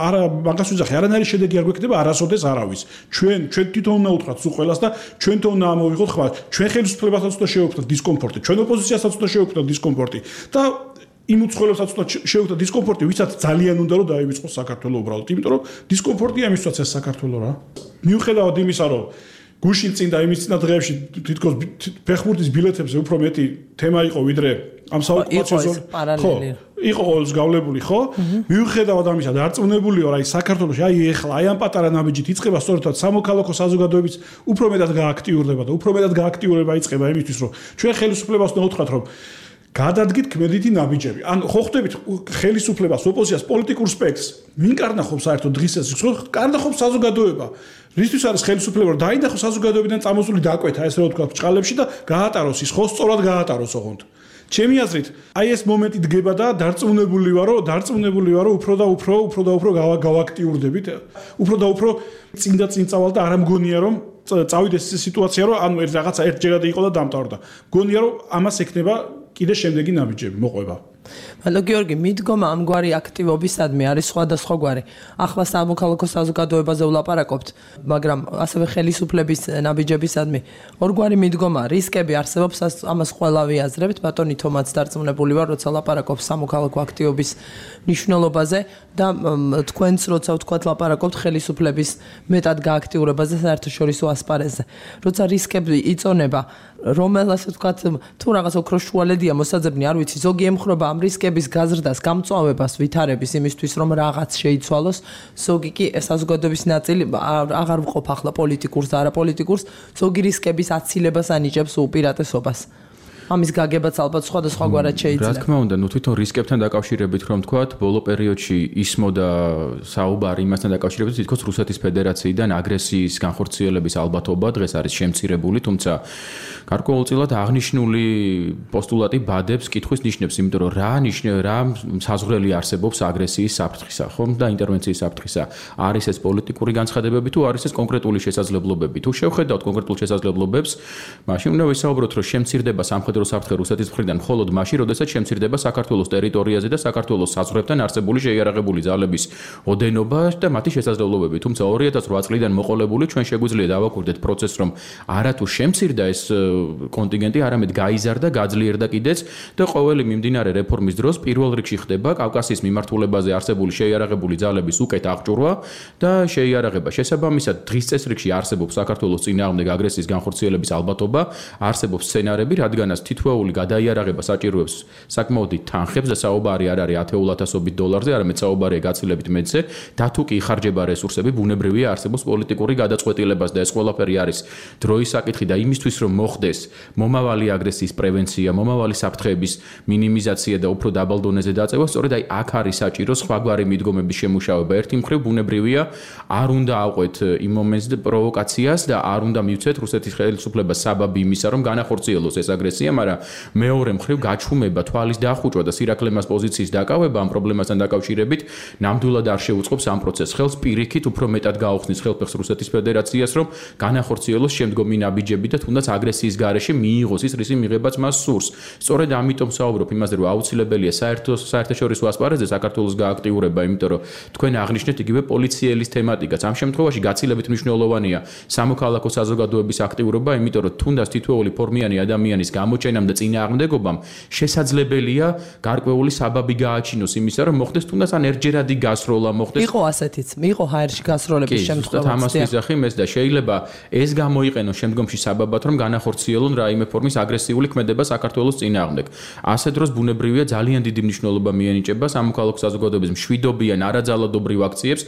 არა მაგას ვიძახი, არანაირი შედეგი არ გვექნება არასოდეს არავის. ჩვენ თვითონ უნდა უთხრათ სულ ყველას და ჩვენ თვითონ უნდა ამოვიღოთ ხმა. ჩვენ ხელისუფლებასაც უნდა შევხვდეთ დისკომფორტი, ჩვენ ოპოზიციასაც უნდა შევხვდეთ დისკომფორტი და იმ უცხოელებსაც უნდა შევხვდეთ დისკომფორტი, ვისაც ძალიან უნდა რომ დაივიწყოს საქართველოს უბრალოდ, იმიტომ რომ დისკომფორტია მისვაც ეს საქართველოს რა. მიუხედავად იმისა, რომ გუშინ წინ და იმის წინა დღეებში თითქოს ფეხბურთის ბილეთებზე უფრო მეტი თემა იყო ვიდრე ამ საოკუპაციო ზონაში. იყო ყოველს გავლებული, ხო? მიუხედავად ამისა, დარწმუნებულიო რა, აი საქართველოში, აი ეხლა, აი ამ პატარა ნაბიჯით იწყება სწორედ სამოქალაქო საზოგადოებიც უფრო მეტად გააქტიურდება და უფრო მეტად გააქტიურება იწყება იმისთვის, რომ ჩვენ ხელისუფლებას უნდა უთხრათ, რომ გადადგით ქმედითი ნაბიჯები. ან ხო ხვდებით ხელისუფლებას, ოპოზიციას, პოლიტიკურ სპექტრს, ვინ კარნახობს საერთოდ დღის წესრიგს? კარნახობს საზოგადოება. რისთვის არის ხელისუფლება, რომ დაინახოს საზოგადოებიდან წამოსული დაკვეთა, ესე რომ ვთქვა, ბჭყალებში და გაატაროს ის, ხო, სწორად გაატაროს ოღონდ. ჩემი აზრით, აი ეს მომენტი დგება და დარწმუნებული ვარო, უფრო და უფრო გავაქტიურდებით, უფრო და უფრო წინ წავალ და არ მგონია რომ წავიდეს ეს სიტუაცია, რომ ანუ რაღაცა ერთჯერადი იყო და დამთავრდა. მგონია რომ ამას ექნება კიდე შემდეგი ნაბიჯები მოყვება. მადლობ გიორგი, მიდგომა ამგვარი აქტივობისადმი არის სხვადასხვაგვარი. ახლა სამოქალაქო საზოგადოებაზე ვლაპარაკობთ, მაგრამ ასევე ხელისუფლების ნაბიჯებისადმი ორგვარი მიდგომა, რისკები არსებობს, ამას ყველა ვიაზრებთ. ბატონი თომაც დარწმუნებული ვარ, როცა ლაპარაკობს სამოქალაქო აქტივობის მნიშვნელობაზე და თქვენც როცა ვთქვათ ლაპარაკობთ ხელისუფლების მეტად გააქტიურებაზე საერთაშორისო ასპარეზზე. როცა რისკები იწონება, რომელსაც ვთქვათ, თუ რაღაც ოქროს შუალედია მოსაძებნი, არ ვიცი, ზოგი ემხრობა ამ რისკების გაზრდას, გამწვავებას, ვითარების იმისთვის, რომ რაღაც შეიცვალოს, ზოგი კი საზოგადოების ნაწილი აღარ ვყოფ ახლა პოლიტიკურს და არაპოლიტიკურს, ზოგი რისკების აცილებას ანიჭებს უპირატესობას. ამის გაგებაც ალბათ სხვადასხვაგვარად შეიძლება. რა თქმა უნდა, თვითონ რისკებთან დაკავშირებით რომ ვთქვათ, ბოლო პერიოდში ისმოდა საუბარი იმასთან დაკავშირებით, თითქოს რუსეთის ფედერაციიდან აგრესიის განხორციელების ალბათობა დღეს არის შემცირებული, თუმცა გარკვეულწილად აღნიშნული პოსტულატი ბადებს კითხვის ნიშნებს, იმიტომ რომ რა საზღვრელი არსებობს აგრესიის საფრთხისა, ხომ და ინტერვენციის საფრთხისა. არის ეს პოლიტიკური განცხადებები თუ არის ეს კონკრეტული შესაძლებლობები? თუ შევხედავთ კონკრეტულ შესაძლებლობებს, მაშინ უნდა ვისაუბროთ, რომ შემცირდება სამხედრო საფრთხე რუსეთის მხრიდან მხოლოდ მაშინ, როდესაც შემცირდება საქართველოს ტერიტორიაზე და საქართველოს საზღვრებთან არსებული შეიარაღებული ძალების ოდენობა და მათი შესაძლებლობები. თუმცა 2008 წლიდან მოყოლებული ჩვენ შეგვიძლია დავაკვირდეთ პროცესს, რომ არათუ შემცირდა ეს კონტინგენტი, არამედ გაიზარდა, გაძლიერდა კიდეც და ყოველი მიმდინარე რეფორმის დროს პირველ რიგში ხდება კავკასიის მიმართულებაზე არსებული შეიარაღებული ძალების უკეთ აღჭურვა და შეიარაღება. შესაბამისად, დღის წესრიგში არსებობს საქართველოს წინააღმდეგ აგრესიის განხორციელების ალბათობა, არსებობს სცენარები, რადგანაც თითოეული გადაიარაღება საჭიროებს საკმაოდ დიდ თანხებს და საუბარი არ არის ათეულათასობით დოლარზე, არამედ საუბარია გაცილებით მეტზე და თუ კი იხარჯება რესურსები, ბუნებრივია არსებობს პოლიტიკური გადაწყვეტილებას და ეს ყველაფერი არის დროის საკითხი და იმისთვის რომ მოხდეს მომავალი აგრესიის პრევენცია, მომავალი საფრთხეების მინიმიზაცია და უფრო დაბალ დონეზე დაწევა, სწორედ აი აქ არის საჭირო სხვაგვარი მიდგომების შემუშავება. ერთი მხრივ ბუნებრივია, არ უნდა ავყვეთ იმ მომენტს პროვოკაციას და არ უნდა მივცეთ რუსეთის ხელისუფლებას საბაბი იმისა, რომ განახორციელოს ეს აგრესია, მაგრამ მეორე მხრივ გაჩუმება, თვალის დახუჭვა და სირაქლემას პოზიციის დაკავება ამ პრობლემასთან დაკავშირებით ნამდვილად არ შეუწყობს ამ პროცესს ხელს, პირიქით უფრო მეტად გაუხსნის ხელფეხს რუსეთის ფედერაციას, რომ განახორციელოს შემდგომი ნაბიჯები და თუნდაც აგრესიის გარეშე მიიღოს ის რისი მიღებაც მას სურს. სწორედ ამიტომ საუბრობ იმაზე, რომ აუცილებელია საერთაშორისო ასპარეზზე საქართველოს გააქტიურება, იმიტომ რომ თქვენ აღნიშნეთ იგივე პოლიციელის თემატიკაც. ამ შემთხვევაში გაცილებით მნიშვნელოვანია სამოქალაქო საზოგადოების აქტიურობა, იმიტომ რომ თუნდაც თითოეული ფორმიანი ადამიანის გამოჩენამ და წინააღმდეგობამ შესაძლებელია გარკვეული საბაბი გააჩინოს იმისა, რომ მოხდეს თუნდაც ან ერთჯერადი გასროლა მოხდეს. იყო ასეთიც, იყო ჰაერში გასროლების შემთხვევაც. ამას ვიზახი მეს და შეიძლება ეს გამოიყენოს შემდგომში საბაბად, რომ განახორციელონ რაიმე ფორმის აგრესიული ქმედება საქართველოს წინააღმდეგ. ასე დროს ბუნებრივია ძალიან დიდი მნიშვნელობა მიენიჭება სამოქალაქო საზოგადოების მშვიდობიან არაძალადობრივ აქციებს.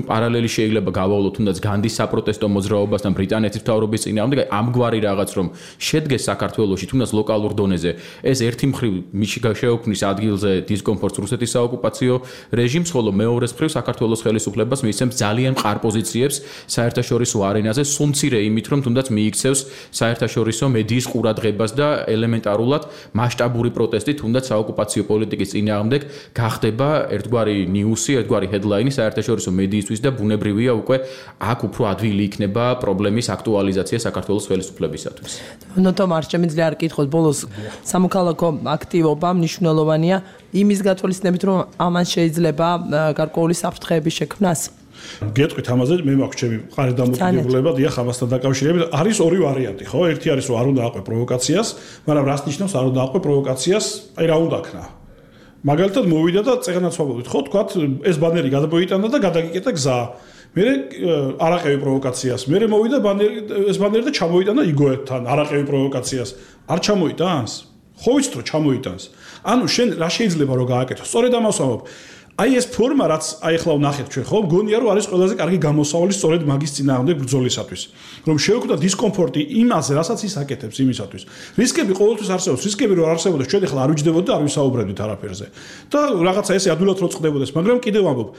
პარალელი შეიძლება გავავლოთ თუნდაც განდის საპროტესტო მოძრაობასთან ბრიტანეთის მთავრობის წინააღმდეგ, ამგვარი რაღაც რომ შედგეს საქართველოში თუნდაც ლოკალურ დონეზე. ეს ერთი მხრივ შეუქმნის ადგილზე დისკომფორტს რუსეთის საოკუპაციო რეჟიმს, ხოლო მეორეს მხრივ საქართველოს ხელისუფლებას მისცემს ძალიან მყარ პოზიციებს საერთაშორისო არენაზე, სულ მცირე იმით, რომ თუნდაც მიიქცევს საერთაშორისო მედიის ყურადღებას და ელემენტარულად მასშტაბური პროტესტი თუნდაც საოკუპაციო პოლიტიკის წინააღმდეგ გახდება ერთგვარი ნიუსი, ერთგვარი ჰედლაინი საერთაშორისო მედიისთვის და ბუნებრივია უკვე აქ უფრო ადვილი იქნება პრობლემის აქტუალიზაცია საქართველოს ხელისუფლებისათვის. ნოტომარ შემიძლია არ კითხოთ, ბოლოს სამოქალაქო აქტივობა მნიშვნელოვანია იმის გათვალისწინებით, რომ ამან შეიძლება გარკვეული საფრთხეების შექმნას. გეტყვით ამაზე, მე მაქვს ჩემი მყარი დამოკიდებულება, დიახ, ამასთან დაკავშირებით არის ორი ვარიანტი, ხო? ერთი არის, რომ არ უნდა აყვე პროვოკაციას, მაგრამ რას ნიშნავს არ უნდა აყვე პროვოკაციას? აი რა უნდა ქნა? მაგალითად მოვიდა და წეგნაც ვაბოდით, ხო, თქვათ, ეს ბანერი გადმოიტანა და გადაგიკეტა გზა. მე არაყევი პროვოკაციას. მე მოვიდა ეს ბანერი და ჩამოიტანა იგოეთთან, არაყევი პროვოკაციას. არ ჩამოიტანს? ხო ვიცით რომ ჩამოიტანს. ანუ შენ რა შეიძლება რომ გააკეთო? სწორედ ამას ვამბობ. აი ეს ფორმა რაც აი ახლა ვნახეთ ჩვენ ხო მგონია რომ არის ყველაზე კარგი გამოსავალი სწორედ მაგის წინააღმდეგ ბრძოლისათვის რომ შეუქმნა დისკომფორტი იმაზე რასაც ის აკეთებს იმისათვის რისკები ყოველთვის არსებობს რისკები რომ არსებობდეს ჩვენ ახლა არ ვიჯდებოდით და არ ვისაუბრებდით არაფერზე და რაღაცა ესე ადვილად რო წყდებოდეს მაგრამ კიდევ ვამბობ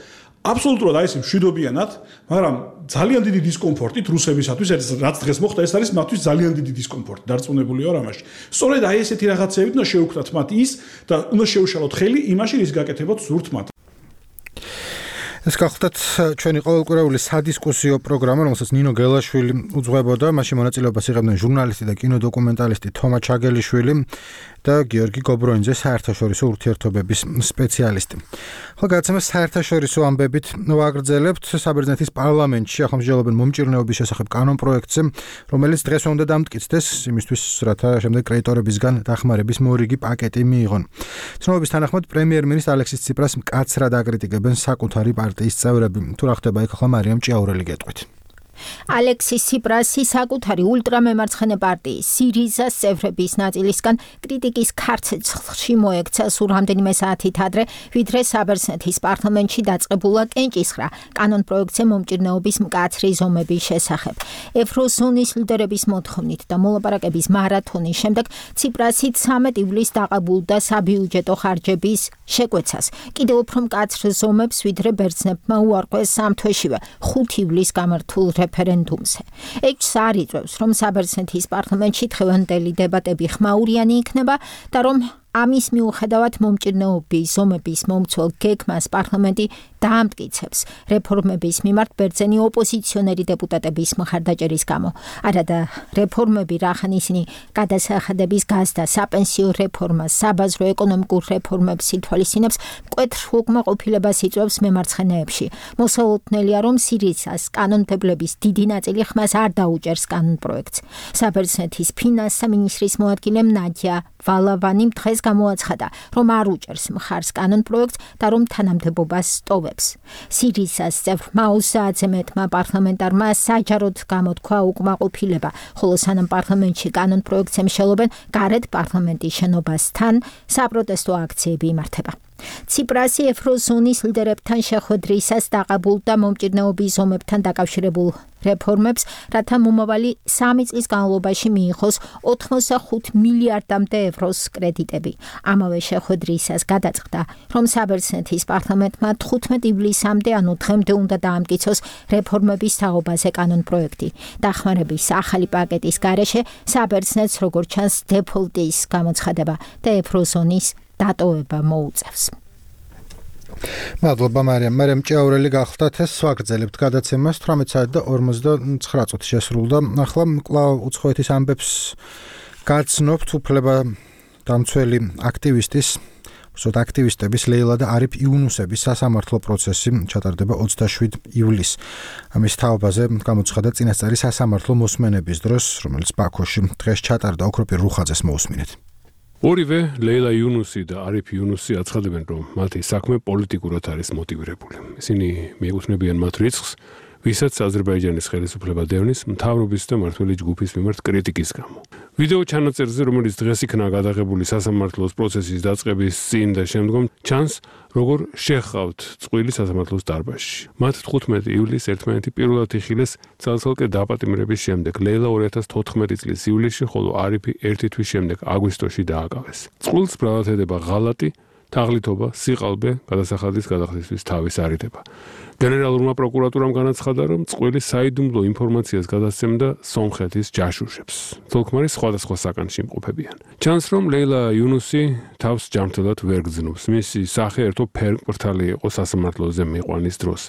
აბსოლუტურად აი ეს მშვიდობიანად მაგრამ ძალიან დიდი დისკომფორტით რუსებისათვის რაც დღეს მოხდა ეს არის მათთვის ძალიან დიდი დისკომფორტი დარწმუნებული ვარ ამაში სწორედ აი ესეთი რაღაცეებით უნდა შეუქმნათ მათ ის და უნდა შეუშალოთ ხელი იმაში რის გაკეთებაც სურთ მათ ეს გახლდათ ჩვენი ყოველკვირეული სადისკუსიო პროგრამა, რომელსაც ნინო გელაშვილი უძღვებოდა, მასში მონაწილეობას იღებდნენ ჟურნალისტი და კინოდოკუმენტალისტი თომა ჩაგელიშვილი და გიორგი გობროინძე, საერთაშორისო ურთიერთობების სპეციალისტი. ხო, გადაცემას საერთაშორისო ამბებით ვაგრძელებთ. საბერძნეთის პარლამენტში ახალმსჯელობენ მომჭირნეობის შესახებ კანონპროექტზე, რომელიც დღეს უნდა დამტკიცდეს, იმისთვის, რათა შემდეგ კრედიტორებისგან დახმარების მორიგი პაკეტი მიიღონ. ცნობების თანახმად პრემიერ-მინისტრ ალექსის ციპრას მკაცრად აკრიტიკებენ საკუთარი პარტიის წევრები. თუ რა ხდება იქ ახლა მარიამ ჭიაურელი გეტყვით. ალექსის ციპრასი საკუთარი ულტრამემარცხენე პარტიის სირიზას წევრების ნაწილისგან კრიტიკის ქარცეცხლში მოექცა სულ რამდენიმე საათით ადრე, ვიდრე საბერძნეთის პარლამენტში დაწყებულა კენჭისხრა კანონპროექტზე მომჭირნეობის მკაცრი ზომების შესახებ. ევროზონის ლიდერების მოთხოვნით და მოლაპარაკების მარათონის შემდეგ ციპრასი 13 ივლისს დაყაბულდა საბიუჯეტო ხარჯების შეკვეცას. კიდევ უფრო მკაცრ ზომებს ვიდრე ბერძნებმა უარყვეს სამ თვეშივე 5 ივლისს გამართულ რეფერენდუმზე. ეჭვს არ იწვევს, რომ საბერძნეთის პარლამენტში დღევანდელი დებატები ხმაურიანი იქნება და რომ ამის მიუხედავად მომჭირნეობის ზომების მომცველ გეგმას პარლამენტი დაამტკიცებს რეფორმების მიმართ ბერძენი ოპოზიციონერი დეპუტატების მხარდაჭერის გამო. არადა რეფორმები რახან ისინი გადასახადების გაზდა, საპენსიო რეფორმას, საბაზრო ეკონომიკურ რეფორმებს ითვალისწინებს, მკვეთრ უკმაყოფილებას იწვევს მემარცხენეებში. მოსალოდნელია, რომ სირიზას კანონმდებლების დიდი ნაწილი ხმას არ დაუჭერს კანონპროექტს. საბერძნეთის ფინანსთა მინისტრის მოადგილემ ნადია ვალავანი დღეს გამოაცხადა, რომ არ უჭერს მხარს კანონპროექტს და რომ თანამდებობას სტოვებს. სირიზას წევრმა 30-ზე მეტმა პარლამენტარმა საჯაროდ გამოთქვა უკმაყოფილება, ხოლო სანამ პარლამენტში კანონპროექტს ემშელობენ, გარეთ პარლამენტის შენობასთან საპროტესტო აქციები იმართება. ციპრასი ევროზონის ლიდერებთან შეხვედრისას დაყაბულ და მომჭირნეობის ზომებთან დაკავშირებულ რეფორმებს, რათა მომავალი 3 წლის განმავლობაში მიიღოს 85 მილიარდამდე ევროს კრედიტები. ამავე შეხვედრისას გადაწყდა, რომ საბერძნეთის პარლამენტმა 15 ივლისამდე, ანუ დღემდე უნდა დაამტკიცოს რეფორმების თაობაზე კანონპროექტი. დახმარების ახალი პაკეტის გარეშე საბერძნეთს როგორც ჩანს დეფოლტის გამოცხადება და ევროზონის დატოვება მოუწევს. მადლობა მარიამ ჭიაურელი გახლდათ ეს ვაგრძელებთ გადაცემას 18:49 შესრულდა. ახლა კვლავ უცხოეთის ამბებს გაცნობთ უფლება დამცველი აქტივისტების ლეილა და არიფ იუნუსების სასამართლო პროცესი ჩატარდება 27 ივლისს. ამის თაობაზე გამოცხადა წინასწარი სასამართლო მოსმენების დროს, რომელიც ბაქოში დღეს ჩატარდა. ოქროპირ რუხაძეს მოусმინეთ. ორივე ლეილა იუნუსი და არიფ იუნუსი აცხადებენ, რომ მათი საქმე პოლიტიკურად არის მოტივირებული. ისინი მიეკუთვნებიან მათ რიცხვს, ვისაც აზერბაიჯანის ხელისუფლება დევნის მთავრობის და მმართველი ჯგუფის მიმართ კრიტიკის გამო. ვიდეო ჩანაწერზე, რომელიც დღეს იქნა გადაღებული სასამართლოს პროცესის დაწყების წინ და შემდგომ, ჩანს, როგორ შეჰყავთ წყვილი სასამართლოს დარბაზში. მათ 15 ივლისს ერთმანეთი პირველად იხილეს ცალ-ცალკე დაპატიმრების შემდეგ. ლეილა 2014 წლის ივლისში, ხოლო არიფი 1 თვის შემდეგ აგვისტოში დააკავეს. წყვილს ბრალად ედება ღალატი, თაღლითობა, სიყალბე, გადასახადის გადახდისთვის თავის არიდება. გენერალურმა პროკურატურამ განაცხადა, რომ წყვილი საიდუმლო ინფორმაციას გადასცემდა სომხეთის ჯაშუშებს. თოლქმარი სხვადასხვა საკანში იმყოფებიან. ჩანს, რომ ლეილა იუნუსი თავს ჯანმრთელად ვერ გრძნობს. მისი სახე ერთო ფერმკრთალი იყო სასამართლოზე მიყვანის დროს.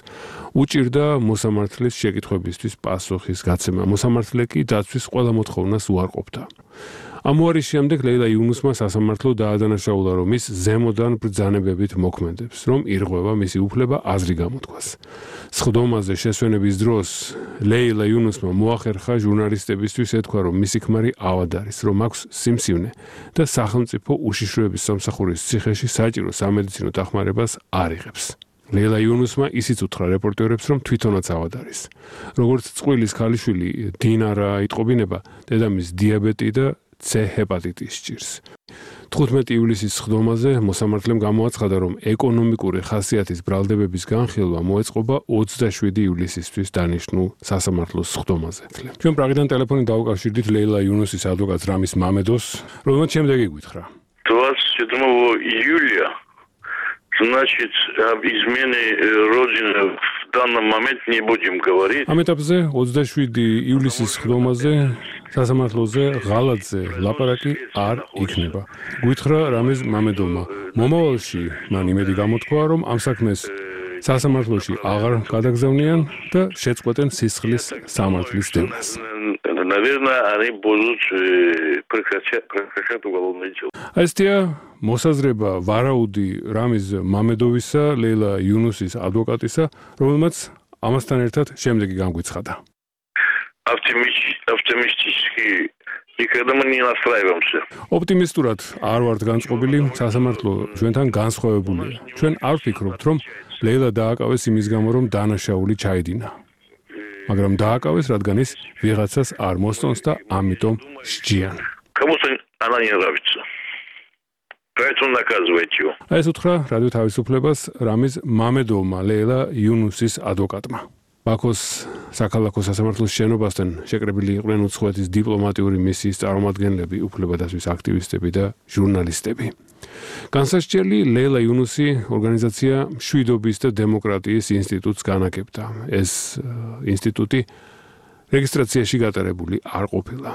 უჭირდა მოსამართლის შეკითხვებისთვის პასუხის გაცემა. მოსამართლე კი დაცვის ყველა მოთხოვნას უარყოფდა. ამუარის შემდეგ ლეილა იუნუსმა სასამართლო დაადანაშაულა, რომ ის ზემოდან ბრძანებებით მოქმედებს, რომ ირღვევა მისი უფლება აზრი გამოთქვას. სხდომაზე შესვენების დროს ლეილა იუნუსმა მოახერხა ჟურნალისტებისთვის ეთქვა, რომ მისი ქმარი ავად არის, რომ აქვს სიმსივნე და სახელმწიფო უშიშროების სამსახურის ციხეში საჭირო სამედიცინო დახმარებას არ იღებს. ლეილა იუნუსმა ისიც უთხრა რეპორტერებს, რომ თვითონაც ავად არის. როგორც წყვილის ქალიშვილი დინარა იტყობინება, დედამის დიაბეტი და C ჰეპატიტის ჭირს. 15 ივლისის სხდომაზე მოსამართლემ გამოაცხადა, რომ ეკონომიკური ხასიათის ბრალდებების განხილვა მოეწყობა 27 ივლისისთვის დანიშნულ სასამართლოს სხდომაზე. ჩვენ პრაღიდან ტელეფონით დავუკავშირდით ლეილა июнусის ადვოკატს რამის მამედოს, რომელიც შემდეგი გითხრა. 27 июля, значит, об измене родины в данном моменте не будем говорить. ამ ეტაპზე 27 ივლისის სხდომაზე სასამართლოზე ღალატზე ლაპარაკი არ იქნება. გითხრა რამის მამედოვმა. მომავალში მან იმედი გამოთქვა, რომ ამ საქმეს სასამართლოში აღარ გადაგზავნიან და შეწყვეტენ სისხლის სამართლის დევნას. Наверное, они будут прекращать уголовное дело. Ასეთია მოსაზრება ვარაუდი რამის მამედოვისა, ლეილა იუნუსის ადვოკატისა, რომელმაც ამასთან ერთად შემდეგი განგვიცხადა. Оптимистически никогда мы не настраиваемся. ოპტიმისტურად არ ვართ განწყობილი, სასამართლო ჩვენთან განსხვავებულია. ჩვენ არ ვფიქრობთ, რომ ლეილა დააკავეს იმის გამო, რომ დანაშაული ჩაიდინა. მაგრამ დააკავეს, რადგან ის ვიღაცას არ მოსწონს და ამიტომ სჯიან. Кому-то она не нравится. Поэтому наказывайте его. ეს უთხრა რადიო თავისუფლებას რამის მამედოვმა ლეილა იუნუსის ადვოკატმა. ბაქოს საქალაქო სასამართლოს შენობასთან შეკრებილი იყვნენ უცხოეთის დიპლომატიური მისიის წარმომადგენლები, უფლებადასვის აქტივისტები და ჟურნალისტები. განსასჯელი ლეილა იუნუსი ორგანიზაცია მშვიდობის და დემოკრატიის ინსტიტუტს განაგებდა. ეს ინსტიტუტი რეგისტრაციაში გატარებული არ ყოფილა.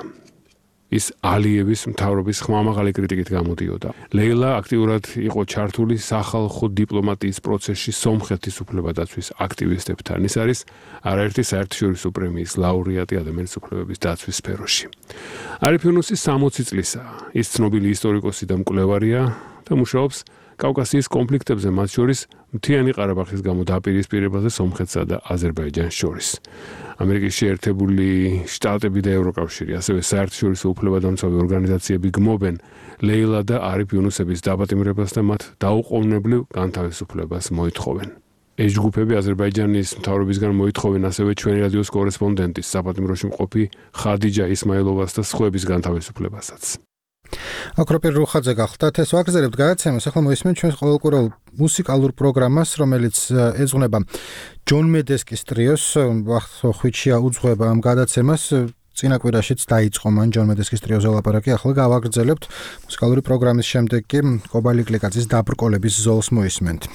ის ალიევის მთავრობის ხმამაღალი კრიტიკით გამოდიოდა. ლეილა აქტიურად იყო ჩართული სახალხო დიპლომატიის პროცესში სომხეთის უფლებადაცვის აქტივისტებთან. ის არის არაერთი საერთაშორისო პრემიის ლაურეატი ადამიანის უფლებების დაცვის სფეროში. არიფ იუნუსი 60 წლისაა. ის ცნობილი ისტორიკოსი და მკვლევარია და მუშაობს კავკასიის კონფლიქტებზე, მათ შორის მთიანი ყარაბაღის გამო დაპირისპირებაზე სომხეთსა და აზერბაიჯანს შორის. ამერიკის შეერთებული შტატები და ევროკავშირი, ასევე საერთაშორისო უფლებადამცავი ორგანიზაციები გმობენ ლეილა და არიფ იუნუსების დაპატიმრებას და მათ დაუყოვნებლივ განთავისუფლებას მოითხოვენ. ეს ჯგუფები აზერბაიჯანის მთავრობისგან მოითხოვენ ასევე ჩვენი რადიოს კორესპონდენტის, საპატიმროში მყოფი ხადიჯა ისმაილოვას და სხვების განთავისუფლებასაც. აკროპირ რუხაძე გახლდათ ეს ვაგზელებთ გადაცემას ახლა მოისმენთ ჩვენს ყოველკვირეულ მუსიკალურ პროგრამას რომელიც ეძღვნება ჯონ მედესკის ტრიოს ხვიჩია უძღვება ამ გადაცემას წინა კვირაშიც დაიწყო მან ჯონ მედესკის ტრიოზე ლაპარაკი ახლა გავაგრძელებთ მუსიკალური პროგრამის შემდეგ კი კობალი კლიკაძის დაბრკოლების ზოლს მოისმენთ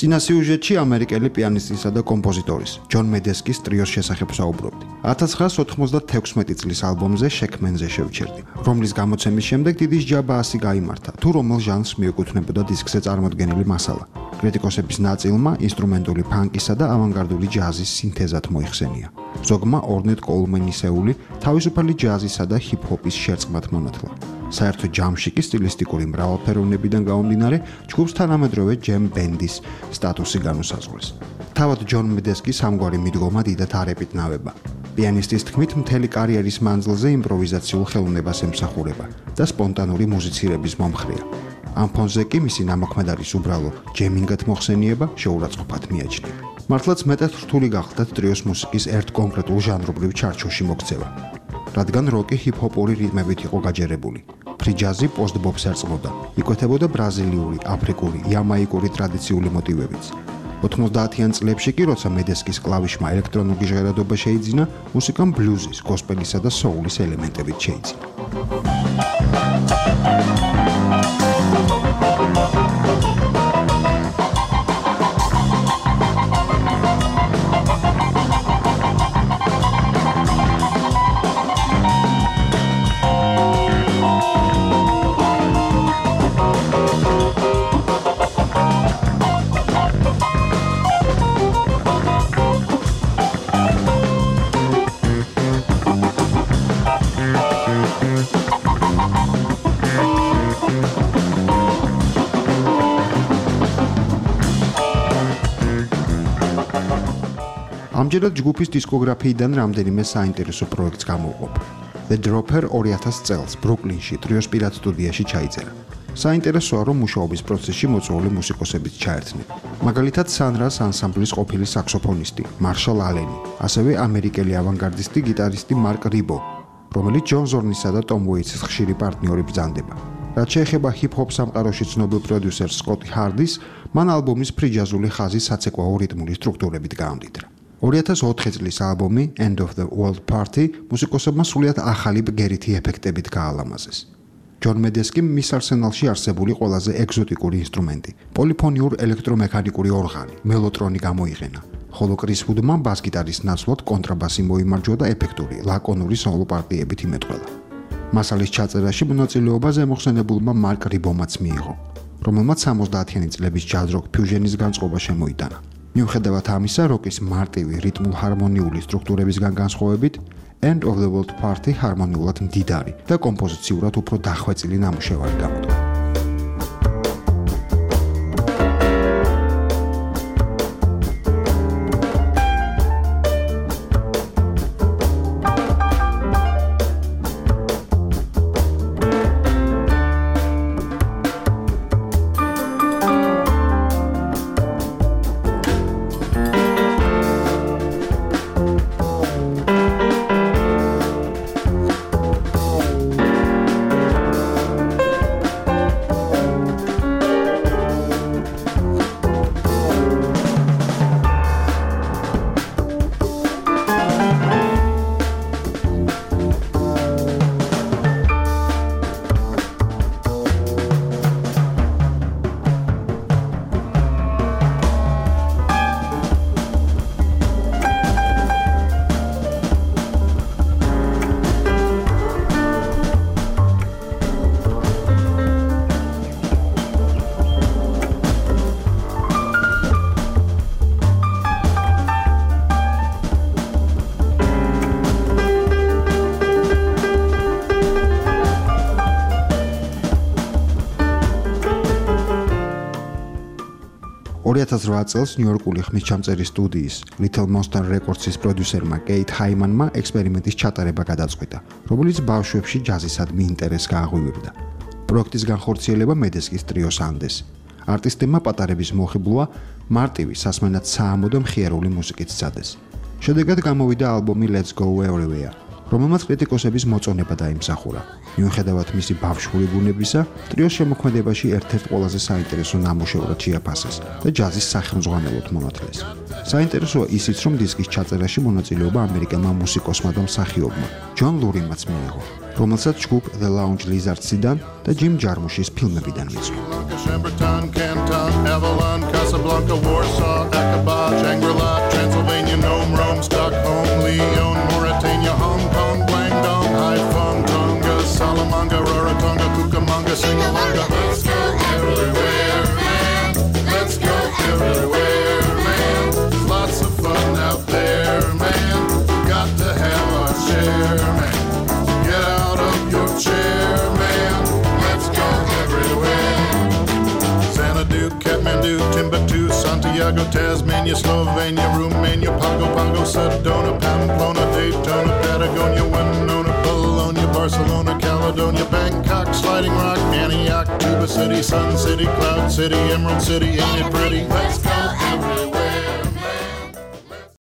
წინა სიუჟეტში ამერიკელი პიანისტისა და კომპოზიტორის ჯონ მედესკის ტრიოს შესახებ საუბრობდი. 1996 წლის ალბომზე შექმენზე შევჩერდი, რომლის გამოცემის შემდეგ დიდი ჯაბაასი გაიმართა, თუ რომელ ჟანრს მიეკუთვნებოდა დისკზე წარმოდგენილი მასალა. კრიტიკოსების ნაწილმა ინსტრუმენტული ფანკისა და ავანგარდული ჯაზის სინთეზად მოიხსენია. ზოგმა ორნეტ კოულმენისეული თავისუფალი ჯაზისა და ჰიპ-ჰოპის შერწყმად მონათლა. საერთო ჯამში კი სტილისტიკური მრავალფეროვნებიდან გამომდინარე ჯგუფს თანამედროვე ჯემ ბენდის სტატუსი განუსაზღვრეს. თავად ჯონ მედესკის ამგვარი მიდგომა დიდად არ ეპიტნავება. პიანისტის თქმით, მთელი კარიერის მანძილზე იმპროვიზაციულ ხელოვნებას ემსახურება და სპონტანური მუსიცირების მომხრეა. ამ ფონზე კი მისი ნამოქმედარის უბრალო ჯემინგად მოხსენიება შეურაცხყოფად მიაჩნია. მართლაც მეტად რთული გახლდათ ტრიოს მუსიკის ერთ კონკრეტულ ჟანრობრივ ჩარჩოში მოქცევა. რადგან როკი ჰიპ-ჰოპური რიტმებით იყო გაჯერებული. ფრი ჯაზი პოსტ-ბოპს ერწყმოდა. იკვეთებოდა ბრაზილიური, აფრიკული, იამაიკური ტრადიციული მოტივებიც. 90-იან წლებში კი, როცა მედესკის კლავიშმა ელექტრონული ჟღერადობა შეიძინა, მუსიკამ ბლუზის, გოსპელისა და სოულის ელემენტებით შეიძინა. ამჯერად ჯგუფის დისკოგრაფიიდან რამდენიმე საინტერესო პროექტს გამოვყოფ. The Dropper 2000 წელს ბრუკლინში ტრიოს პირად სტუდიაში ჩაიწერა. საინტერესოა, რომ მუშაობის პროცესში მოწვეული მუსიკოსებიც ჩაერთნენ. მაგალითად, Sunrise ანსამბლის ყოფილი საქსოფონისტი მარშალ ალენი, ასევე ამერიკელი ავანგარდისტი გიტარისტი მარკ რიბო, რომელიც ჯონ ზორნისა და ტომ უეიტსის ხშირი პარტნიორი ბრძანდება. რაც შეეხება ჰიპ-ჰოპ სამყაროში ცნობილ პროდიუსერს სკოტი ჰარდის, მან ალბომის ფრიჯაზული ხაზი საცეკვაო რიტმული სტრუქტურებით გაამდიდრა. 2004 წლის ალბომი End of the World Party მუსიკოსებმა სრულიად ახალი ბგერითი ეფექტებით გაალამაზეს. ჯონ მედესკიმ მის არსენალში არსებული ყველაზე ეგზოტიკური ინსტრუმენტი, პოლიფონიურ ელექტრომექანიკური ორღანი, მელოტრონი გამოიყენა, ხოლო კრის ვუდმა ბას-გიტარის ნაცვლად კონტრაბასი მოიმარჯვა და ეფექტური, ლაკონური სოლო პარტიებით იმეტყველა. მასალის ჩაწერაში მონაწილეობა ზემოხსენებულმა მარკ რიბომაც მიიღო, რომელმაც 70-იანი წლების ჯაზ-როკ ფიუჟენის განწყობა შემოიტანა. მიუხედავად ამისა, როკის მარტივი რიტმულ-ჰარმონიული სტრუქტურებისგან განსხვავებით, End of the World Party ჰარმონიულად მდიდარი და კომპოზიციურად უფრო დახვეწილი ნამუშევარი გამოდგა. 2008 წელს ნიუ-იორკული ხმისჩამწერი სტუდიის Little Monster Records-ის პროდიუსერმა კეით ჰაიმანმა ექსპერიმენტის ჩატარება გადაწყვიტა, რომელიც ბავშვებში ჯაზისადმი ინტერესს გააღვივებდა. პროექტის განხორციელება მედესკის ტრიოს ანდეს. არტისტებმა პატარების მოხიბლვა მარტივი, სასმენად საამო და მხიარული მუსიკით სცადეს. შედეგად გამოვიდა ალბომი Let's Go Everywhere, რომელმაც კრიტიკოსების მოწონება დაიმსახურა. მიუხედავად მისი ბავშვური ბუნებისა, ტრიოს შემოქმედებაში ერთ-ერთ ყველაზე საინტერესო ნამუშევრად შეაფასეს და ჯაზის სახელმძღვანელოდ მონათლეს. საინტერესოა ისიც, რომ დისკის ჩაწერაში მონაწილეობა ამერიკელმა მუსიკოსმა და მსახიობმა ჯონ ლურიმაც მიიღო, რომელსაც ჯგუფ The Lounge Lizards-დან და ჯიმ ჯარმუშის ფილმებიდან მიწყო. Casablanca, Warsaw, Aqaba, Shangri-La, Transylvania, Nome, Rome, Stockholm, Lyon, Mauritania, Hong Kong, Guangdong, Haiphong, Tonga, Salamanca, Rarotonga, Cucamonga, Singalonga. Let's go everywhere, man. Let's go everywhere, man. Lots of fun out there, man. Got to have our share, man. Get out of your chair, man. Let's go everywhere. Xanadu, Kathmandu, Timbuktu, Santiago, Tasmania, Slovenia, Romania, Pago, Sedona, Pamplona, Daytona, Patagonia, Winona, Bologna, Barcelona, Caledonia, Bangkok, Sliding Rock, Antioch, Tuba City, Sun City, Cloud City, Emerald City, ain't it pretty? Let's go